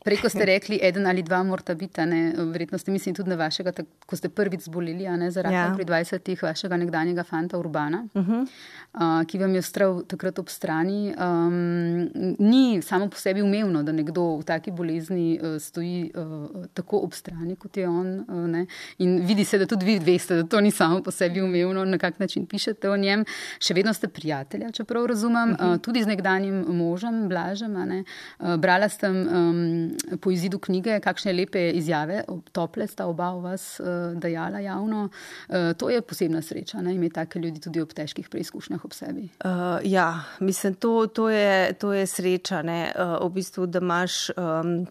Prej, ko ste rekli, eden ali dva morata biti, ne, verjetno ste mislili tudi na vašega, ko ste prvič zboleli, a ne, za rakom ja. pri dvajsetih, vašega nekdanjega fanta Urbana, uh-huh. uh, ki vam je ostral takrat ob strani. Um, ni samo po sebi umevno, da nekdo v taki bolezni uh, stoji uh, tako ob strani, kot je on. Uh, ne. In vidi se, da tudi vi veste, da to ni samo po sebi umevno, na kak način pišete o njem. Še vedno ste prijatelja, čeprav razumem, uh-huh. uh, tudi z nekdanjim možem, Blažem, a ne. Uh, brala sem... Um, po izidu knjige, kakšne lepe izjave, tople sta oba v vas uh, dajala javno. Uh, to je posebna sreča, ne, imeti take ljudi tudi ob težkih preizkušnjah ob sebi. Uh, ja, mislim, to, to, je, to je sreča, ne, uh, v bistvu, da imaš... Um,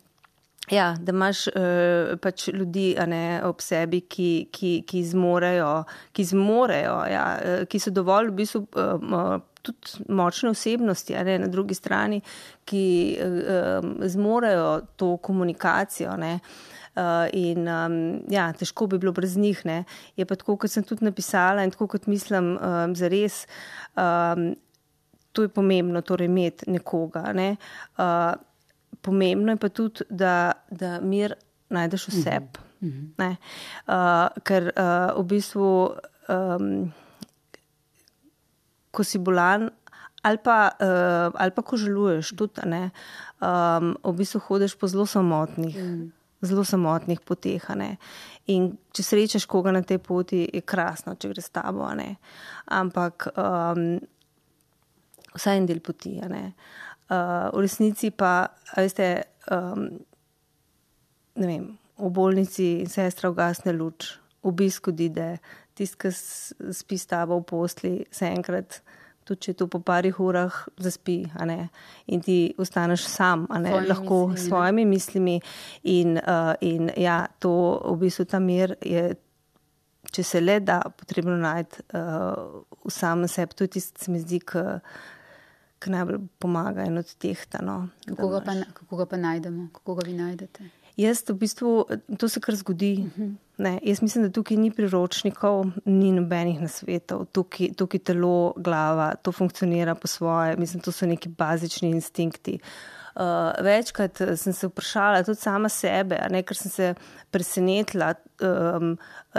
Ja, da imaš uh, pač ljudi, a ne, ob sebi, ki, ki, ki zmorejo, ki zmorejo, ja, ki so dovolj v bistvu uh, tudi močne osebnosti, a ne, na drugi strani, ki uh, zmorejo to komunikacijo, ne. Uh, in um, ja, težko bi bilo brez njih, ne. Je pa tako, kot sem tudi napisala in tako, kot mislim, um, zares, um, to je pomembno, torej imeti nekoga, ne. Uh, Pomembno je pa tudi, da, da mir najdeš v sebi. Mm-hmm. Uh, ker uh, v bistvu, um, ko si bolan, ali pa, uh, ali pa ko žaluješ, tudi, ne, um, v bistvu hodiš po zelo samotnih, mm. zelo samotnih poteh. Ne. In če srečaš koga na tej poti, je krasno, če gre s tabo. Ne. Ampak um, vsaj en del poti, ne. Uh, v resnici pa, veste, um, ne vem, v bolnici sestra ugasne luč, obisk odide, tist, ki spi s tabo v posli, se enkrat, tudi če to po parih urah zaspi, a ne, in ti ostaneš sam, a ne, svojimi lahko mislimi, s svojimi mislimi in, uh, in ja, to v bistvu ta mir je, če se le da, potrebno najti uh, v samem sebi, to je tist, se mi zdi, k ki najbolj pomaga in odtehta. No, kako, ga pa, kako ga pa najdemo? Kako ga vi najdete? Jaz v bistvu, to se kar zgodi. Ne, jaz mislim, da tukaj ni priročnikov, ni nobenih nasvetov. Tukaj, tukaj telo, glava, to funkcionira po svoje. Mislim, to so neki bazični instinkti. Uh, večkrat sem se vprašala tudi sama sebe, a ne, ker sem se presenetila, um,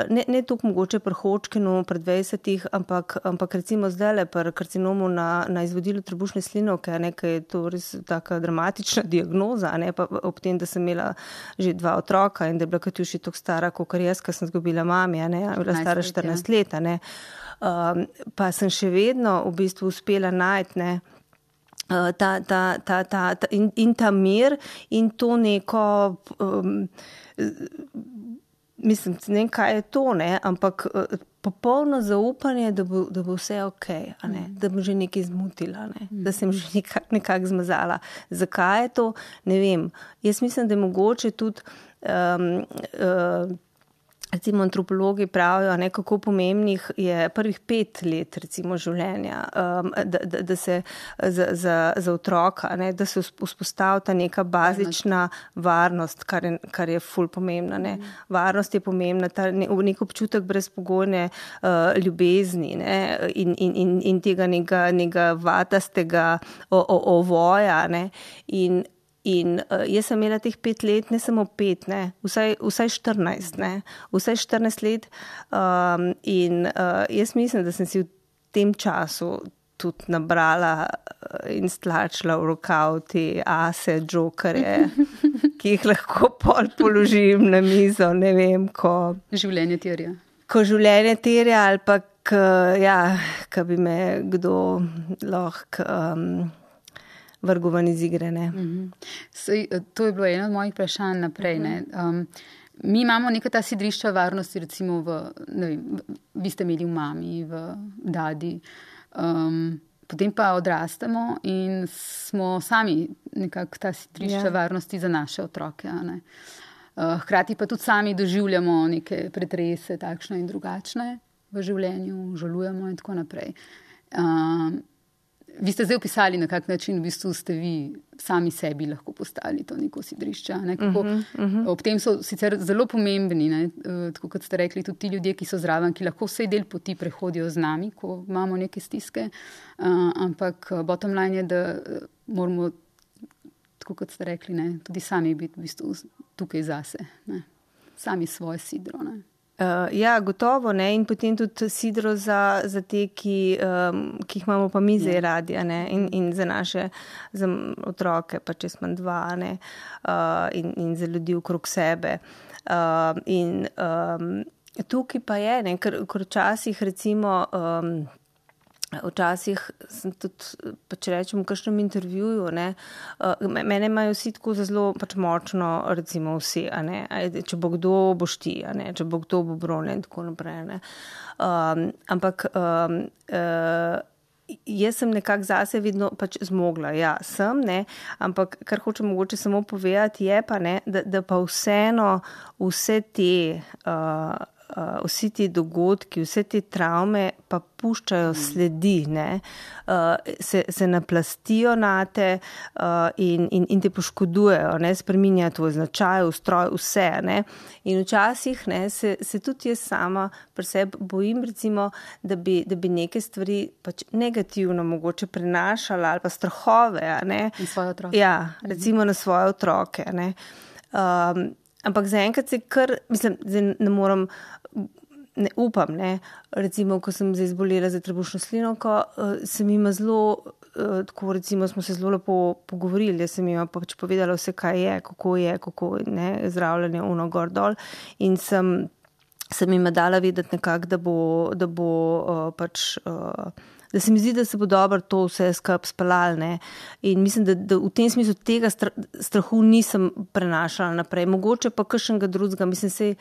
ne, ne toliko mogoče pri Hodgkinu pred dvajsetih, ampak, ampak recimo zdajle pri karcinomu na, na izvodilu trebušne slinavke, a ne, ker je to res taka dramatična diagnoza, a ne, pa ob tem, da sem imela že dva otroka in da je bila Katjuši toliko stara, kakor jaz, ker sem zgubila mami, a ne, bila stara štirinajst let, a ne, um, pa sem še vedno v bistvu uspela najti, ne, Ta, ta, ta, ta, ta, in, in ta mir in to neko, um, mislim, ne vem, kaj je to, ne, ampak popolno zaupanje, da bo, da bo vse ok, a ne, da bom že nekaj zmutila, ne, da sem že nekako nekak zmazala. Zakaj je to? Ne vem. Jaz mislim, da je mogoče tudi um, uh, recimo antropologi pravijo, ne, kako pomembnih je prvih pet let recimo življenja, um, da, da, da se za, za, za otroka, ne, da se vzpostavi ta neka bazična varnost, kar je, kar je ful pomembna. Ne. Varnost je pomembna, ta ne, nek občutek brezpogojne uh, ljubezni, ne, in, in, in, in tega nekega, nekega vatastega o, o, ovoja. Ne, in In uh, jaz sem imela teh pet let, ne samo pet, ne, vsaj, vsaj štirinajst, ne, vsaj štirinajst let. Um, in uh, jaz mislim, da sem si v tem času tudi nabrala in stlačila v rokav te ase, džokerje, ki jih lahko pol položim na mizo, ne vem, ko... Življenje terja. Ko življenje terja ali pa, k, ja, ko bi me kdo lahko... Um, vrgovan iz igre, ne. Mm-hmm. Sej, to je bilo eno od mojih vprašanj naprej, ne. Um, mi imamo neka ta sidrišča varnosti, recimo v, ne vem, vi ste imeli v mami, v dadi, um, potem pa odrastemo in smo sami nekako ta sidrišča yeah. varnosti za naše otroke, a ne. Uh, hkrati pa tudi sami doživljamo neke pretrese, takšne in drugačne v življenju, žalujemo in tako naprej. Um, Vi ste zdaj opisali, na kak način v bistvu ste vi sami sebi lahko postali to neko sidrišče. Ne? Kako, uh-huh, uh-huh. Ob tem so sicer zelo pomembni, ne? Tako kot ste rekli, tudi ti ljudje, ki so zraven, ki lahko vsej del poti prehodijo z nami, ko imamo neke stiske, uh, ampak bottom line je, da moramo, tako kot ste rekli, ne? Tudi sami biti v bistvu tukaj zase, ne? Sami svoje sidro. Ne? Uh, ja, gotovo, ne, in potem tudi sidro za, za te, ki, um, ki jih imamo pa mi zdaj radi, ne, in, in za naše, za otroke, pa če smo dva, ne, uh, in, in za ljudi okrog sebe. Uh, in um, tukaj pa je, ne, ker, ker včasih recimo, um, včasih sem tudi, pa če rečem v kakšnem intervjuju, ne, mene imajo vsi tako zelo pač močno, recimo vsi, a ne, če bo kdo, boš ti, a ne, če bo kdo, bo Brone in tako naprej, ne. Um, ampak um, uh, jaz sem nekako zase vedno pač zmogla, ja, sem, ne, ampak kar hočem mogoče samo povedati je pa, ne, da, da pa vseeno vse te uh, Uh, vsi ti dogodki, vse te travme pa puščajo sledi, ne, uh, se, se naplastijo nate uh, in, in, in te poškodujejo, ne, spreminjajo tvoj značaj, ustroj, vse, ne, in včasih, ne, se, se tudi jaz sama pri sebi bojim, recimo, da bi, da bi neke stvari pač negativno mogoče prenašala ali pa strahove, ne. Na svoje otroke. Ja, recimo na svoje otroke, ne. Um, Ampak zaenkrat se kar, mislim, ne moram, ne upam, ne, recimo, ko sem zdaj zbolela za trebušno slinavko, sem ima zelo, tako recimo smo se zelo lepo pogovorili, jaz sem ima pač povedala vse, kaj je, kako je, kako ne, zdravljenje uno gor dol in sem, sem ima dala vedeti nekako, da bo, da bo uh, pač... Uh, da se mi zdi, da se bo dobro to vse skup spalal, ne. In mislim, da, da v tem smislu tega strahu nisem prenašala naprej. Mogoče pa kakšnega drugega, mislim, se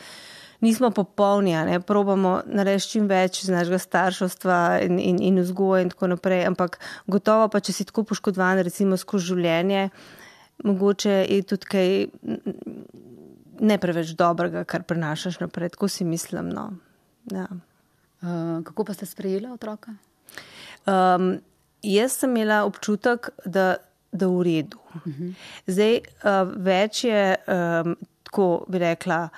nismo popolni, ne, probamo narediti čim več iz našega starševstva in, in, in vzgoje in tako naprej, ampak gotovo pa, če si tako poškodovan, recimo skozi življenje, mogoče je tudi kaj ne preveč dobrega, kar prenašaš naprej, tako si mislim, no. Ja. Uh, kako pa ste sprejela otroka? Um, jaz sem imela občutek, da, da v redu. Uh-huh. Zdaj, uh, več je, um, tako bi rekla,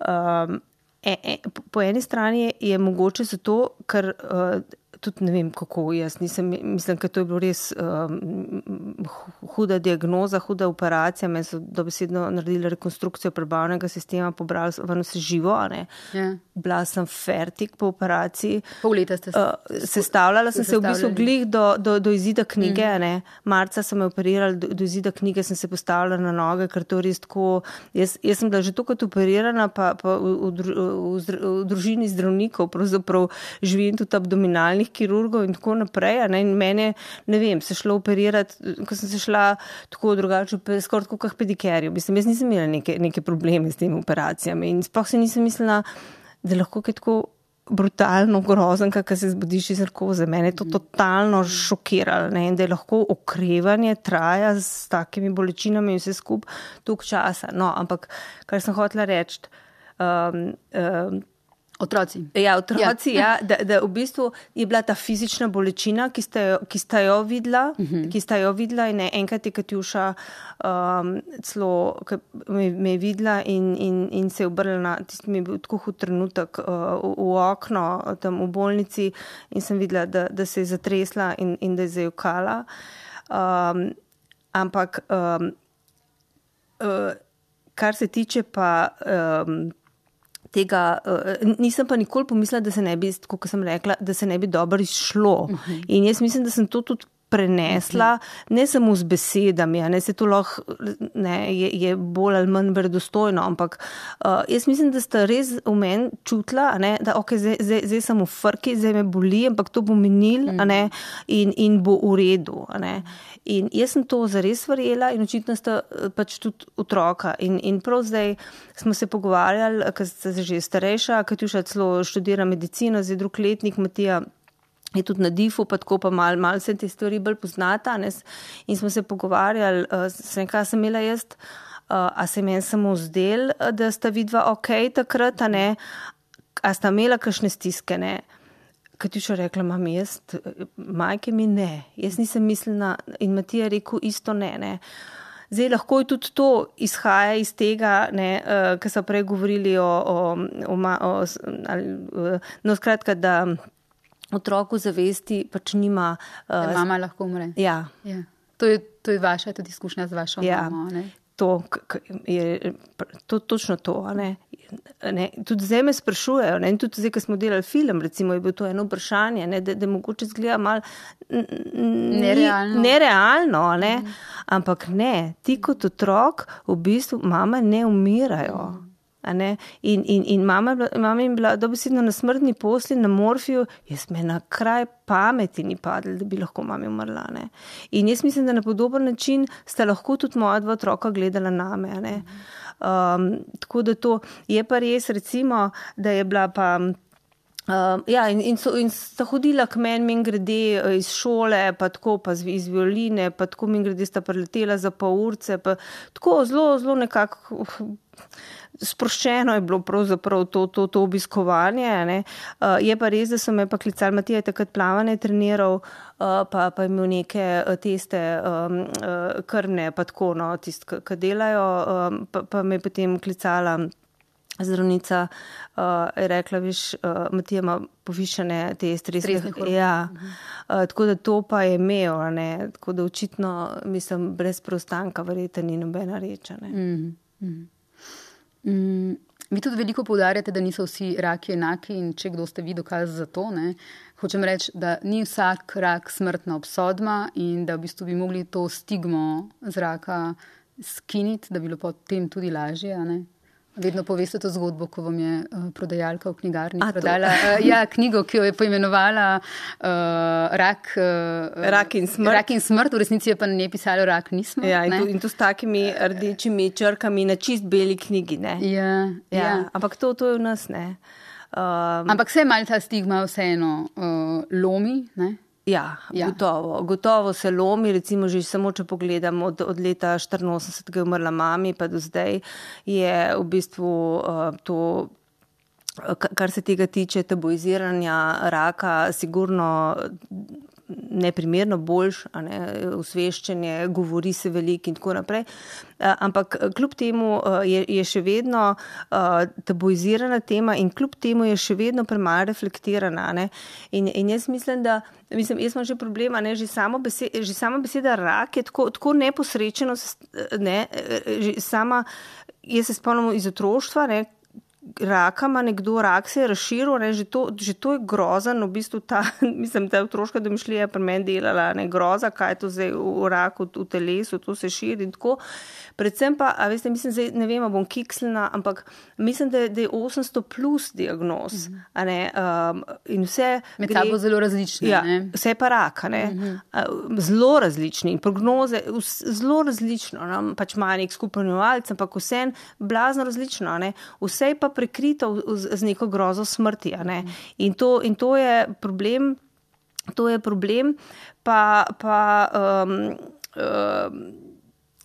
um, e, e, po eni strani je, je mogoče zato, ker uh, tudi ne vem, kako jaz nisem, mislim, ker to je bilo res um, huda diagnoza, huda operacija, me so dobesedno naredili rekonstrukcijo prebavnega sistema, pobrali ven vse živo, a ne. Ja. Bila sem fertik po operaciji. Pol leta ste se... Uh, sestavljala sem se v bistvu glih do, do, do izida knjige, mm. ne. Marca so me operirali, do, do izida knjige sem se postavila na noge, ker to res tako, jaz, jaz sem bila že toliko operirana, pa, pa v, v, v, v, v družini zdravnikov, pravzaprav živim tudi abdominalnih kirurgov in tako naprej, a ne, in mene, ne vem, se šlo operirati, ko sem se šla tako drugače, skoraj tako kak pedikerju, mislim, jaz nisem imela neke, neke probleme s temi operacijami in sploh se nisem mislila, da lahko kaj tako brutalno grozen, kakor se zbudiš iz narkoze. Mene je to totalno šokiralo, ne, in da je lahko okrevanje traja s takimi bolečinami in vse skup toliko časa. No, ampak, kar sem hotela reči, um, um, Otroci. Ja, otroci, ja, ja da, da v bistvu je bila ta fizična bolečina, ki sta jo, ki sta jo videla, uh-huh. ki sta jo videla in enkrat je Katjuša um, celo, me, me je videla in, in, in se je obrnila, tisti mi je bil tako hud trenutek uh, v, v okno tam v bolnici in sem videla, da, da se je zatresla in, in da je zajokala. Um, ampak, um, uh, kar se tiče pa... Um, tega, uh, nisem pa nikoli pomislila, da se ne bi, kot sem rekla, da se ne bi dobro izšlo. Uh-huh. In jaz mislim, da sem to tudi prenesla, uh-huh. ne samo z besedami, a ne se to lahko, ne, je, je bolj ali manj verodostojno, ampak uh, jaz mislim, da sta res v meni čutila, a ne, da ok, zdaj, zdaj, zdaj sem v frki, zdaj me boli, ampak to bo minil, uh-huh. a ne, in, in bo v redu, a ne. In jaz sem to zares verjela in očitno sta pač tudi otroka. In, in prav zdaj smo se pogovarjali, ker sta že starejša, Katjuša celo študira medicino, zdaj drug letnik, Matija je tudi na difu, pa tako pa malo mal se te stvari bolj poznata. Ne? In smo se pogovarjali, sem kaj sem imela jaz, a se meni samo zdel, da sta vidva ok takrat, a ne, a sta imela kakšne stiske, ne. Katjuša rekla, mami, jaz, majke mi ne, jaz nisem mislila in Matija rekel isto ne, ne. Zdaj lahko je tudi to izhaja iz tega, ne, uh, kar so prej govorili o, o, o, o ali, uh, no skratka, da otroku zavesti pač nima... Uh, da mama lahko umre. Ja. Ja. To je, to je vaša tudi izkušnja z vašo ja. mamo, ne? To je to, točno to, a ne. Ne, tudi zdaj me sprašujejo, ne, in tudi zdaj, ko smo delali film, recimo, je bilo to eno vprašanje, ne, da, da mogoče zgleda malo nerealno, nerealno ne, mm. ampak ne, ti kot otrok v bistvu mama ne umirajo. Mm. A ne? In, in, in mama, mama je bila dobesedno na smrtni posli, na morfiju, jaz me na kraj pameti ni padla, da bi lahko mami umrla. Ne? In jaz mislim, da na podoben način sta lahko tudi moja dva otroka gledala name. A ne? Um, tako da to je pa res, recimo, da je bila pa... Uh, ja, in, in, so, in sta hodila k meni, min grede iz šole, pa tako, pa z, iz violine, pa tako min grede sta preletela za pol urce, pa tako zelo, zelo nekako sproščeno je bilo pravzaprav to, to, to obiskovanje. Ne. Uh, je pa res, da so me pa klicali, Matija je takrat plavanje treniral, uh, pa, pa imel neke teste um, uh, krvne, pa tako, no, tist, ki delajo, um, pa, pa me je potem klicala zdravnica, uh, je rekla, viš, uh, Matija ima povišene te stresne hormone. Ja. Uh, tako da to pa je imel, ne. Tako da očitno, mislim, brez preostanka verjetno ni nobena reč. Ne. Mm, mm. Mm, vi tudi veliko poudarjate, da niso vsi raki enaki in če kdo ste vi dokaz za to, ne. Hočem reči, da ni vsak rak smrtna obsodba in da v bistvu bi mogli to stigmo z raka skiniti, da bi bilo potem tudi lažje, a ne. Vedno poveste to zgodbo, ko vam je uh, prodajalka v knjigarni A, prodala uh, ja, knjigo, ki jo je poimenovala uh, rak, uh, rak in smrt. Rak in smrt, v resnici je pa na njej pisalo rak nismo. Ja, in, to, in to s takimi rdečimi črkami na čist beli knjigi. Ne? Ja, ja. Ja, ampak to, to je v nas, ne. Um, ampak se malo ta stigma vseeno uh, lomi, ne? Ja, ja. Gotovo. Gotovo se lomi, recimo že samo, če pogledam od, od leta štiriinosemdeset, ko je umrla mami, pa do zdaj je v bistvu uh, to, kar se tega tiče tabuiziranja raka, sigurno neprimerno boljš, a ne, osveščenje, govori se veliko in tako naprej. Ampak kljub temu je, je še vedno tabuizirana tema in kljub temu je še vedno premalo reflektirana. Ne? In, in jaz mislim, da mislim, jaz imam že problema, ne, že samo beseda, že sama beseda rak je tako, tako neposrečeno, ne, že sama, jaz se spomnim iz otroštva, ne, raka ima nekdo, rak se je razširil, ne, že, to, že to je grozen, v bistvu ta, mislim, ta otroška domišljija je pri meni delala, ne, groza, kaj je to zdaj v raku, v telesu, to se širi in tako. Predvsem pa, a veste, mislim, zdaj, ne vem, bom kikslina, ampak mislim, da je, da je osemsto plus diagnoz, mm-hmm. a ne, um, in vse med gre, sabo zelo različni, ja, ne? Vse pa raka, ne, mm-hmm. zelo različni in prognoze, zelo različno, ne? Pač ima nek skupen imenovalec, ampak vse blazno različno, ne, vse pa prekrito z neko grozo smrti, a ne, in to, in to je problem, to je problem, pa, pa um, um,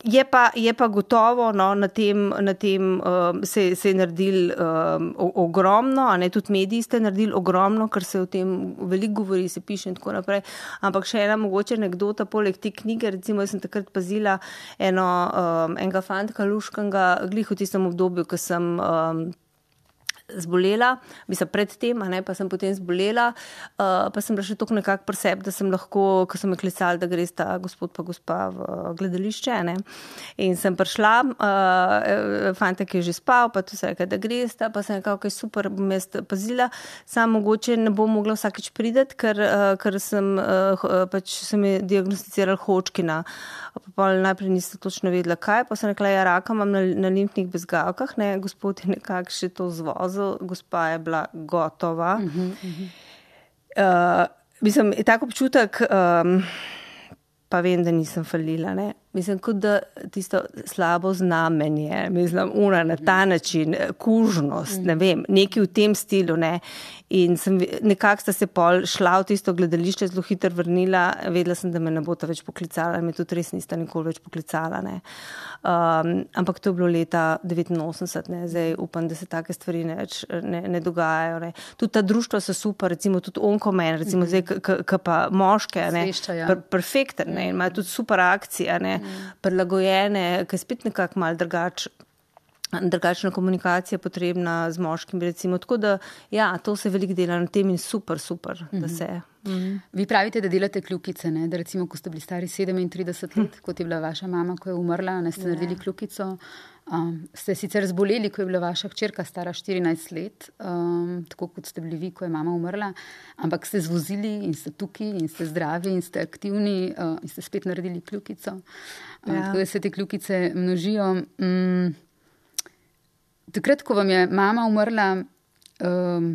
Je pa, je pa gotovo, no, na tem, na tem um, se, se je naredil um, ogromno, a ne, tudi mediji ste naredili ogromno, ker se o tem veliko govori, se piše in tako naprej. Ampak še ena mogoče anekdota poleg te knjige, recimo jaz sem takrat pazila eno, um, enega fantka luškanga, glih v tistem obdobju, ko sem um, zbolela, mislim pred tem, a ne, pa sem potem zbolela, uh, pa sem bila še toliko nekako pri sebi, da sem lahko, ko so me klicali, da gre sta gospod pa gospa v gledališče, ne, in sem prišla, uh, fantek je že spal, pa to se je, da gre sta, pa sem nekako, kaj super, bom jaz pazila, sam mogoče ne bom mogla vsakič prideti, ker, uh, ker sem, uh, pač se mi diagnosticirali Hodgkina, pa najprej niste točno vedela, kaj, pa sem rekla, ja, raka imam na, na limfnih bezgavkah, ne, gospod je nekako še to zvozil, gospa je bila gotova. Uh-huh, uh-huh. Uh, mislim, je tak občutek, um, pa vem, da nisem falila, ne. Mislim, kot da tisto slabo znamenje, mislim, una na ta način, kužnost, ne vem, nekaj v tem stilu, ne. In sem, nekako sta se pol šla v tisto gledališče, zelo hitro vrnila, vedela sem, da me ne bota več poklicala, me tudi res nista nikoli več poklicala, ne. Um, ampak to je bilo leta devetinosemdeset, ne, zdaj upam, da se take stvari ne, ne, ne dogajajo, ne. Tudi ta društva so super, recimo tudi Onkomen, recimo zdaj, k pa moške, ne, per, perfekten, ne, imajo tudi super akcije, ne, prilagojene, ki je spet nekako malo drugač, drugačna komunikacija potrebna z moškimi, recimo. Tako da, ja, to se veliko dela na tem in super, super, mm-hmm. da se. Mm-hmm. Vi pravite, da delate kljukice, ne? Da recimo, ko ste bili stari sedemintrideset let, kot je bila vaša mama, ko je umrla, ne ste naredili kljukico. Um, ste sicer zboleli, ko je bila vaša hčerka stara štirinajst let, um, tako kot ste bili vi, ko je mama umrla, ampak ste zvozili in ste tukaj in ste zdravi in ste aktivni uh, in ste spet naredili kljukico. Um, ja. Tako da se te kljukice množijo. Um, takrat, ko vam je mama umrla, um,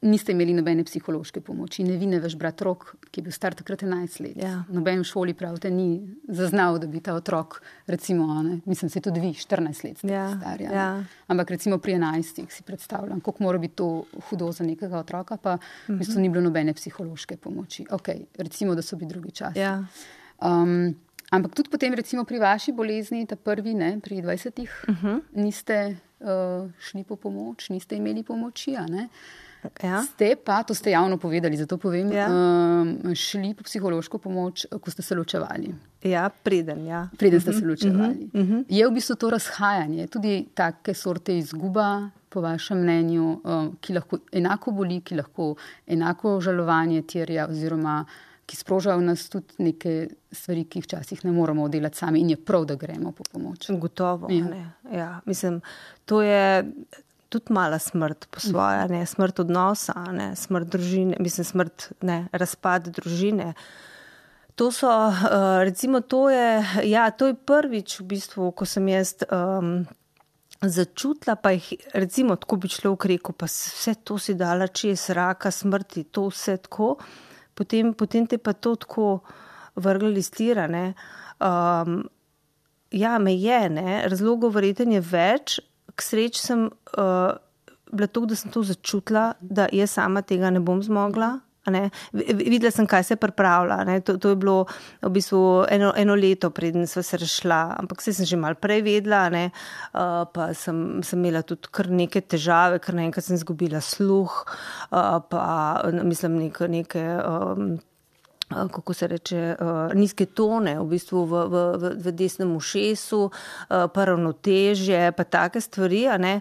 niste imeli nobene psihološke pomoči. Ne vi, ne vaš brat Rok, ki je bil star takrat enajst let. Ja. Noben v šoli pravite ni zaznal, da bi ta otrok, recimo, ne, mislim, se tudi vi, štirinajst let ste ja. star. Ja. Ja. Ampak recimo pri enajstih si predstavljam, koliko mora biti to hudo za nekega otroka, pa v bistvu ni bilo nobene psihološke pomoči. Ok, recimo, da so bili drugi časi. Ja. Um, ampak tudi potem, recimo, pri vaši bolezni, ta prvi, ne, pri dvajsetih, uh-huh. niste uh, šli po pomoč, niste imeli pomoči, a ne? Ja. Ste pa, to ste javno povedali, zato povem, ja. um, šli po psihološko pomoč, ko ste se ločevali. Ja, preden, ja. Preden ste uh-huh, se ločevali. Uh-huh, uh-huh. Je v bistvu to razhajanje, tudi take sorte izguba, po vašem mnenju, um, ki lahko enako boli, ki lahko enako žalovanje terja, oziroma ki sprožajo v nas tudi neke stvari, ki jih včasih ne moramo delati sami in je prav, da gremo po pomoč. Gotovo, ja. Ne. Ja, mislim, to je tudi mala smrt po svoje, ne, smrt odnosa, ne, smrt družine, mislim, smrt, ne, razpad družine. To so, uh, recimo, to je, ja, to je prvič v bistvu, ko sem jaz um, začutila, pa jih, recimo, tako bi človek rekel, pa vse to si dala čez, raka, smrti, to vse tako, potem, potem te pa to tako vrgli stira, ne. Um, ja, me je, ne, razlogov verjetno je več. K sreči sem uh, bila tako, da sem to začutila, da jaz sama tega ne bom zmogla. Ne? Videla sem, kaj se je pripravila. Ne? To, to je bilo v bistvu eno, eno leto, preden sva se rešila. Ampak se sem že malo prej vedela, ne? Uh, pa sem, sem imela tudi kar neke težave, ker naenkrat sem izgubila sluh, uh, pa mislim neke... neke um, kako se reče, nizke tone, v bistvu v, v, v desnem ušesu, pa ravnotežje, pa take stvari, a ne,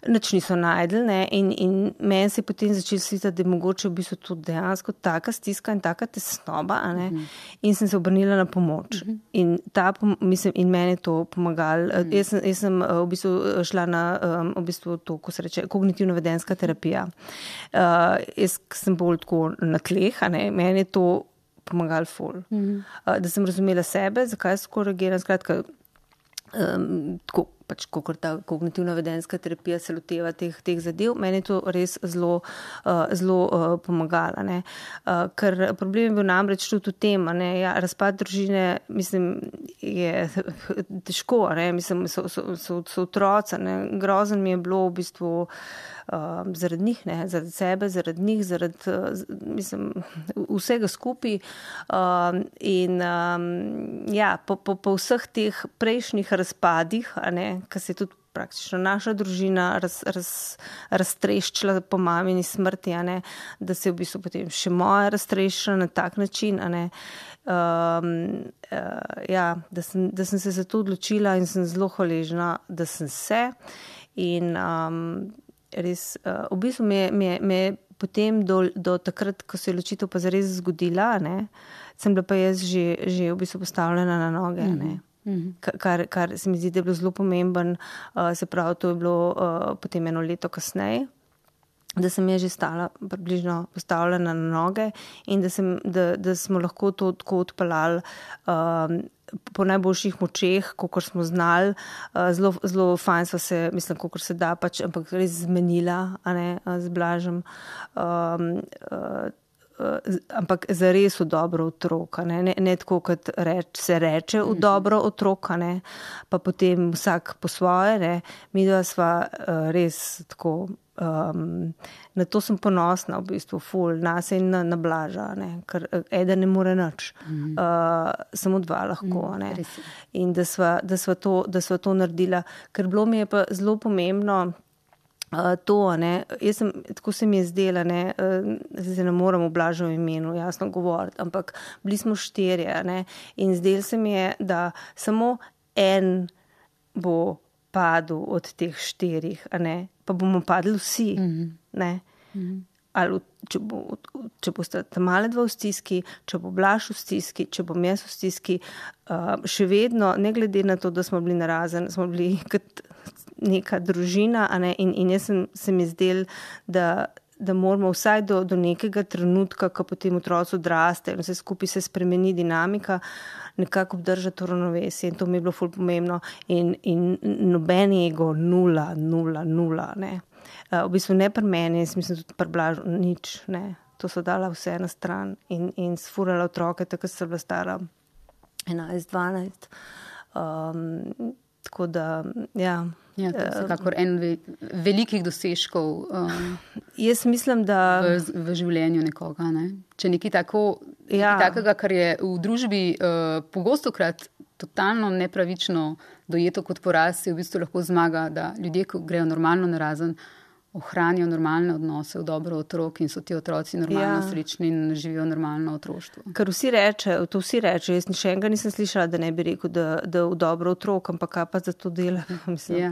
nič niso najdli, ne, in, in meni se je potem začel slišati, da je mogoče v bistvu to dejansko taka stiska in taka tesnoba, a ne, uh-huh. in sem se obrnila na pomoč. Uh-huh. In ta, mislim, in meni je to pomagalo. Uh-huh. Jaz sem, jaz sem v bistvu šla na, v bistvu to, ko se reče, kognitivno-vedenska terapija. Uh, jaz sem bolj tako na tleh, a ne, meni je to pomagali ful. Mm-hmm. Uh, da sem razumela sebe, zakaj so reagiram, skratka, um, tako, pač, kakor ta kognitivno-vedenska terapija se loteva teh, teh zadev, meni je to res zelo, uh, zelo uh, pomagala, ne. Uh, ker problem je bil namreč tudi v tem, ne, ja, razpad družine, mislim, je težko, ne, mislim, so, so, so, so otroci, ne, grozen mi je bilo v bistvu Um, zaradi njih, ne, zaradi sebe, zaradi njih, zaradi, mislim, vsega skupaj. Um, in um, ja, po, po, po vseh teh prejšnjih razpadih, a ne, ki se je tudi praktično naša družina raz, raz, raztreščila po mamini smrti, a ne, da se je v bistvu potem še moja raztreščila na tak način, a ne, um, uh, ja, da sem, da sem se za to odločila in sem zelo hvaležna, da sem se in um, res, uh, v bistvu me, me, me potem do, do takrat, ko se je ločitev pa zares zgodila, ne, sem bila pa jaz že, že v bistvu postavljena na noge, ne. Mm-hmm. Kar, kar se mi zdi, da je bilo zelo pomemben, uh, se pravi, to je bilo uh, potem eno leto kasneje, da sem jaz že stala približno postavljena na noge in da, sem, da, da smo lahko to tako odpeljali um, po najboljših močeh, kakor smo znali, uh, zelo, zelo fajn sva se, mislim, kakor se da, pač, ampak res zmenila, a ne, z Blažem, um, uh, uh, ampak zares v dobro otroka, ne, ne, ne tako, kot reč, se reče v dobro otroka, ne, pa potem vsak po svoje, ne, mi dva sva uh, res tako. Um, na to sem ponosna v bistvu ful, nas in na, na Blaža, ne, ker eden ne more nič, mm-hmm. uh, samo dva lahko, mm, ne, in da sva, da sva to, da sva to naredila, ker bilo mi je pa zelo pomembno uh, to, ne, jaz sem, tako se mi je zdela, ne, uh, zdaj ne moram v Blažovem imenu jasno govoriti, ampak bili smo štirje, ne, in zdel se mi je, da samo en bo padel od teh štirih, a ne, pa bomo padli vsi, mm-hmm. ne, mm-hmm. ali če, bo, če boste tam male dva v stiski, če bo Blaž v stiski, če bom jaz v stiski, uh, še vedno, ne glede na to, da smo bili narazen, smo bili kot neka družina, a ne, in, in jaz sem, se mi zdel, da, da moramo vsaj do, do nekega trenutka, ko potem otroci odraste in vse skupaj se spremeni dinamika, nekako obdržati to ravnovesje in to mi je bilo ful pomembno in, in noben ego, nula, nula, nula, ne. Uh, v bistvu ne pri meni, jaz mislim tudi pri Blažu, nič, ne. To so dala vse na stran in, in sfurala otroke, tako se bila stara enajst, dvanajst. Um, tako da, ja. Ja, to je vsekakor en ve, velikih dosežkov um, jaz mislim, da v, v življenju nekoga, ne? Če nekaj tako, ja. nekaj takega, kar je v družbi uh, pogostokrat totalno nepravično dojeto kot poraz, je v bistvu lahko zmaga, da ljudje, ko grejo normalno narazen, ohranijo normalne odnose v dobro otrok in so ti otroci normalno ja. srečni in živijo normalno otroštvo. Ker vsi reče, to vsi reče, jaz še enega nisem slišala, da ne bi rekel, da, da v dobro otrok, ampak kaj pa za to dela? Mislim, ja,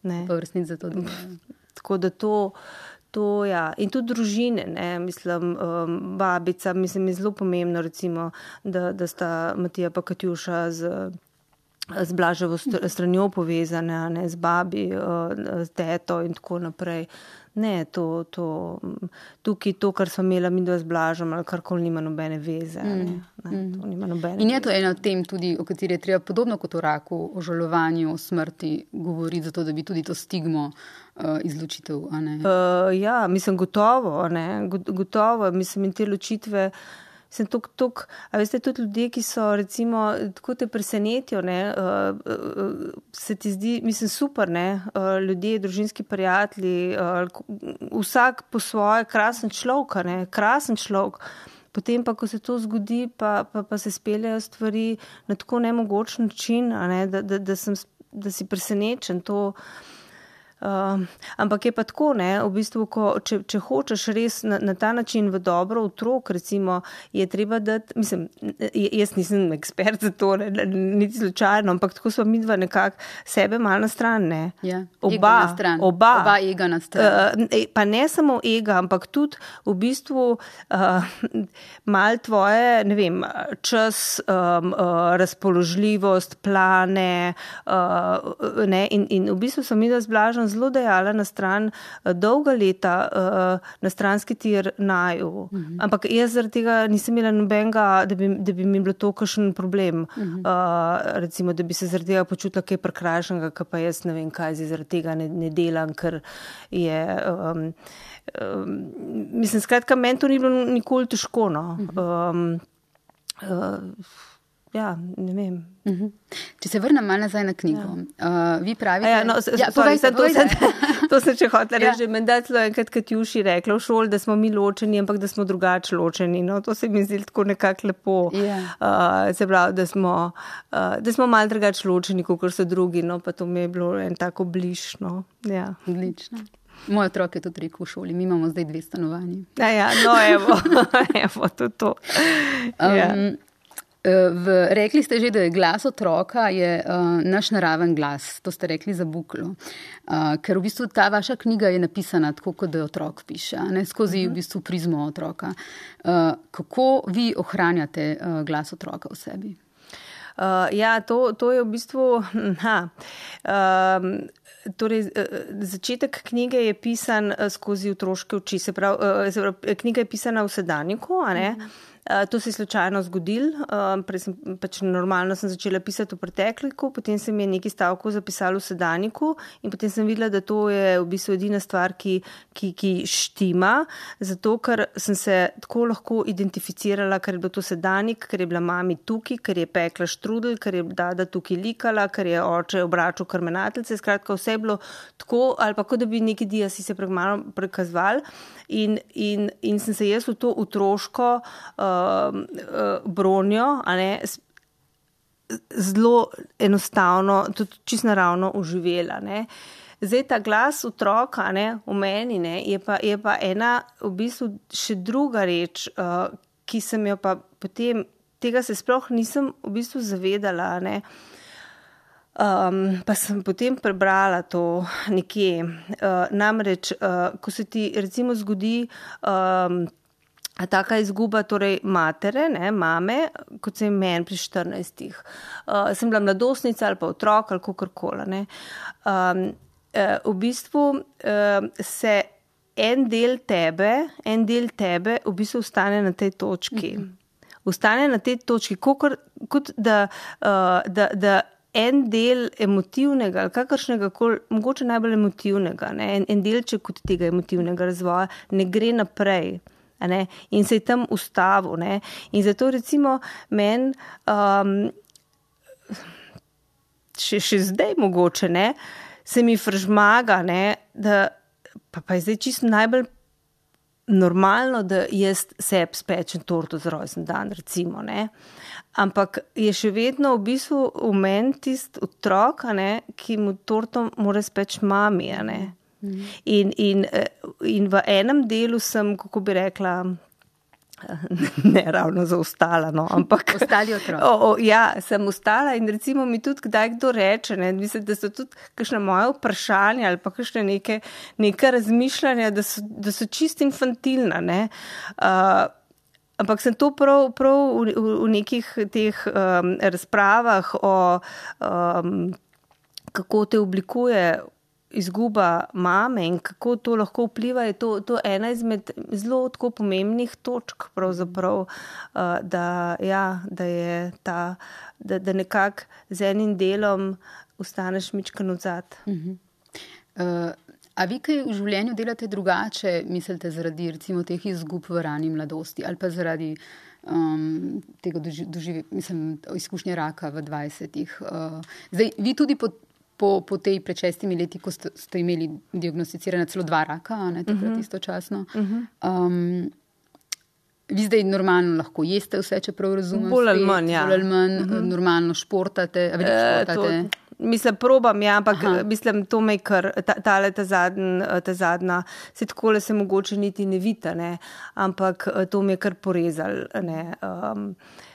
ne. pa v resnici za to dela. Tako da to, to ja, in tudi družine, ne, mislim, um, babica, mislim, je zelo pomembno, recimo, da, da sta Matija pa Katjuša z z Blaževo stranjo povezane, ne, z babi, z teto in tako naprej. Ne, to, to, tukaj to, kar smo imela mi dva z Blažem, ali karkoli nima nobene veze. Ne, ne, to nima nobene in je veze. to ena od tem tudi, o kateri je treba podobno kot o raku, o žalovanju, o smrti govoriti, zato da bi tudi to stigmo uh, izločitev, a ne? Uh, ja, mislim, gotovo, ne, gotovo, mislim, in te ločitve sem tuk, tuk, a veste, tudi ljudje, ki so, recimo, tako te presenetijo, ne, uh, uh, se ti zdi, mislim, super, ne, uh, ljudje, družinski prijatelji, uh, vsak po svoje krasen človek, ne, krasen človek, potem pa, ko se to zgodi, pa, pa, pa se speljajo stvari na tako nemogoč način, a ne, da, da, da, sem, da si presenečen, to Uh, ampak je pa tako, ne, v bistvu, ko, če, če hočeš res na, na ta način v dobro otrok, recimo, je treba dati, mislim, jaz nisem ekspert za to, ne, niti slučajno, ampak tako smo midva nekako sebe malo na stran, ne. Ja, oba, na stran. Oba. Oba ega na stran. Uh, pa ne samo ega, ampak tudi v bistvu uh, malo tvoje, ne vem, čas, um, uh, razpoložljivost, plane, uh, ne, in, in v bistvu sem midva z Blažem zelo dejala na stran dolga leta uh, na stranski tir naju. Uh-huh. Ampak jaz zaradi tega nisem imela nobenega, da bi, da bi mi bilo to kakšen problem. Uh-huh. Uh, recimo, da bi se zaradi tega počutila kaj prekrajšanega, ka pa jaz ne vem kaj, zaradi tega ne, ne delam, ker je... Um, um, mislim, skratka, meni to ni bilo nikoli težko, no. Um, uh, Ja, ne vem. Uh-huh. Če se vrnem malo nazaj na knjigo. Ja. Uh, vi pravite... Ja, no, s- ja, sorry, povejte, to, povejte. sem, to sem če hotela Ja. reči, že menda celo enkrat Katjuši rekla v šoli, da smo mi ločeni, ampak da smo drugače ločeni. No, to se mi zdi tako nekako lepo. Ja. Uh, se pravi, da smo, uh, da smo malo drugače ločeni, kot so drugi, no, pa to mi je bilo en tako bližno. Ja. Odlično. Moj otrok je tudi rekel v šoli, mi imamo zdaj dve stanovanji. Ja, ja, no, evo, evo, to je to. Ja. Um, v, rekli ste že, da je glas otroka je uh, naš naraven glas. To ste rekli za Buklo. Uh, ker v bistvu ta vaša knjiga je napisana tako, kot da otrok piše, ne, skozi v bistvu prizmo otroka. Uh, kako vi ohranjate uh, glas otroka v sebi? Uh, ja, to, to je v bistvu... Ha, um, Torej, začetek knjige je pisan skozi otroške oči, se pravi, se pravi, knjiga je pisana v sedanjiku, a ne? Mm-hmm. To se je slučajno zgodil, prej sem pač normalno sem začela pisati v pretekliku, potem se mi je nekaj stavkov zapisalo v sedanjiku in potem sem videla, da to je v bistvu edina stvar, ki, ki, ki štima, zato ker sem se tako lahko identificirala, ker je bilo to sedanjik, ker je bila mami tukaj, ker je pekla štrudel, ker je dada tukaj likala, ker je oče obračal krmenateljce, skratka vse je bilo tako, ali pa kot da bi neki diasi se malo prekazoval in, in, in sem se jaz v to otroško uh, uh, bronjo, a ne, zelo enostavno, tudi čisto naravno uživela, ne. Zdaj ta glas otroka, ne, v meni, ne, je pa, je pa ena v bistvu še druga reč, uh, ki sem jo pa potem, tega se sploh nisem v bistvu zavedala, ne. Um, pa sem potem prebrala to nekje. Uh, namreč, uh, ko se ti recimo zgodi um, taka izguba, torej matere, ne, mame, kot se je meni pri štirinajstih. Uh, sem bila mladostnica ali pa otrok ali kakorkoli, ne. Um, uh, v bistvu uh, se en del tebe, en del tebe v bistvu ostane na tej točki. Mm-hmm. Ostane na tej točki, kot, kot da, uh, da, da en del emotivnega ali kakršnega koli, mogoče najbolj emotivnega, ne, en, en delček kot tega emotivnega razvoja ne gre naprej. Ne, in se je tam ustavil. Ne. In zato recimo meni um, še, še zdaj mogoče, ne, se mi fržmaga, ne, da pa, pa je zdaj čisto najbolj normalno, da jaz sebi spečem torto za rojstni dan, recimo, ne. Ampak je še vedno v bistvu v meni tist otrok, a ne, ki mu torto mora speči mami, a ne. In, in, in v enem delu sem, kako bi rekla, ne ravno zaostala, no, ampak... Ostali otrok. O, o, ja, sem ostala in recimo mi tudi kdaj kdo reče, ne, mislim, da so tudi kakšne moje vprašanja ali pa kakšne neke, neke razmišljanja, da so, da so čist infantilna, ne. Uh, ampak sem to prav, prav v, v, v nekih teh um, razpravah o um, kako te oblikuje izguba mame in kako to lahko vpliva, je to, to ena izmed zelo tako pomembnih točk pravzaprav, uh, da, ja, da je ta, da, da nekako z enim delom ostaneš mičkan odzad. Uh-huh. Uh, a vi kaj v življenju delate drugače, mislite, zaradi recimo teh izgub v rani mladosti ali pa zaradi um, tega doži, doživi, mislim, izkušnje raka v dvajsetih? Uh, zdaj, vi tudi po Po, po tej pred šestimi leti, ko ste, ste imeli diagnosticirane celo dva raka, ne, takrat uh-huh. istočasno. Uh-huh. Um, vi zdaj normalno lahko jeste vse, čeprav razumem. Bolj ali manj, ja. Bolj ali manj, uh-huh. normalno športate, a veliko športate. E, to, mislim, probam, ja, ampak Aha. mislim, to me kar, ta, tale, ta, zadn, ta zadnja, se takole se mogoče niti ne vita, ne, ampak to me je kar porezal, ne, um,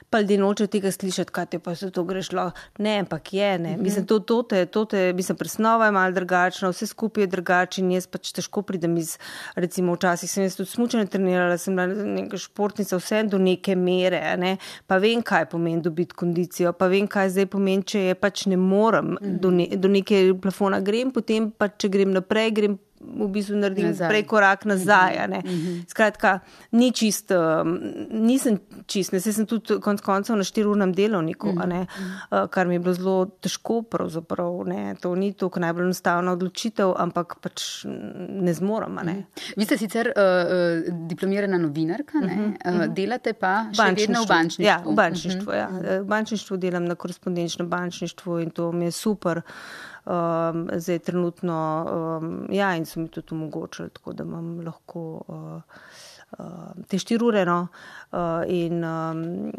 pa ljudje noče tega slišati, kaj te pa se to greš lahko. Ne, ampak je, ne. Mm-hmm. Mislim, to, to te, to te, mislim, presnova je malo drugačna, vse skupaj je drugače in jaz pač težko pridem iz, recimo včasih sem jaz tudi smučanje trenirala, sem bila neka športnica, vse do neke mere, ne. Pa vem, kaj pomeni dobiti kondicijo, pa vem, kaj zdaj pomeni, če je pač ne morem, mm-hmm. do, ne, do neke plafona grem, potem pa, če grem naprej, grem v bistvu naredim nazaj. Prej korak nazaj, ne. Mm-hmm. Skratka, ni čist, nisem čist, ne, sem tudi konc koncev na štiriurnem delovniku, mm-hmm. ne, kar mi je bilo zelo težko pravzaprav, ne, to ni toliko najbolj enostavna odločitev, ampak pač ne zmorem, ne. Mm-hmm. Vi ste sicer uh, diplomirana novinarka, ne, mm-hmm. uh, delate pa še vedno v bančništvu. Ja, v bančništvu, mm-hmm. ja. V bančništvu delam na korespondenčnem bančništvu in to mi je super. Um, zdaj trenutno, um, ja, in so mi tudi omogočili, tako da imam lahko uh, uh, te štiri ure, no, uh, in um,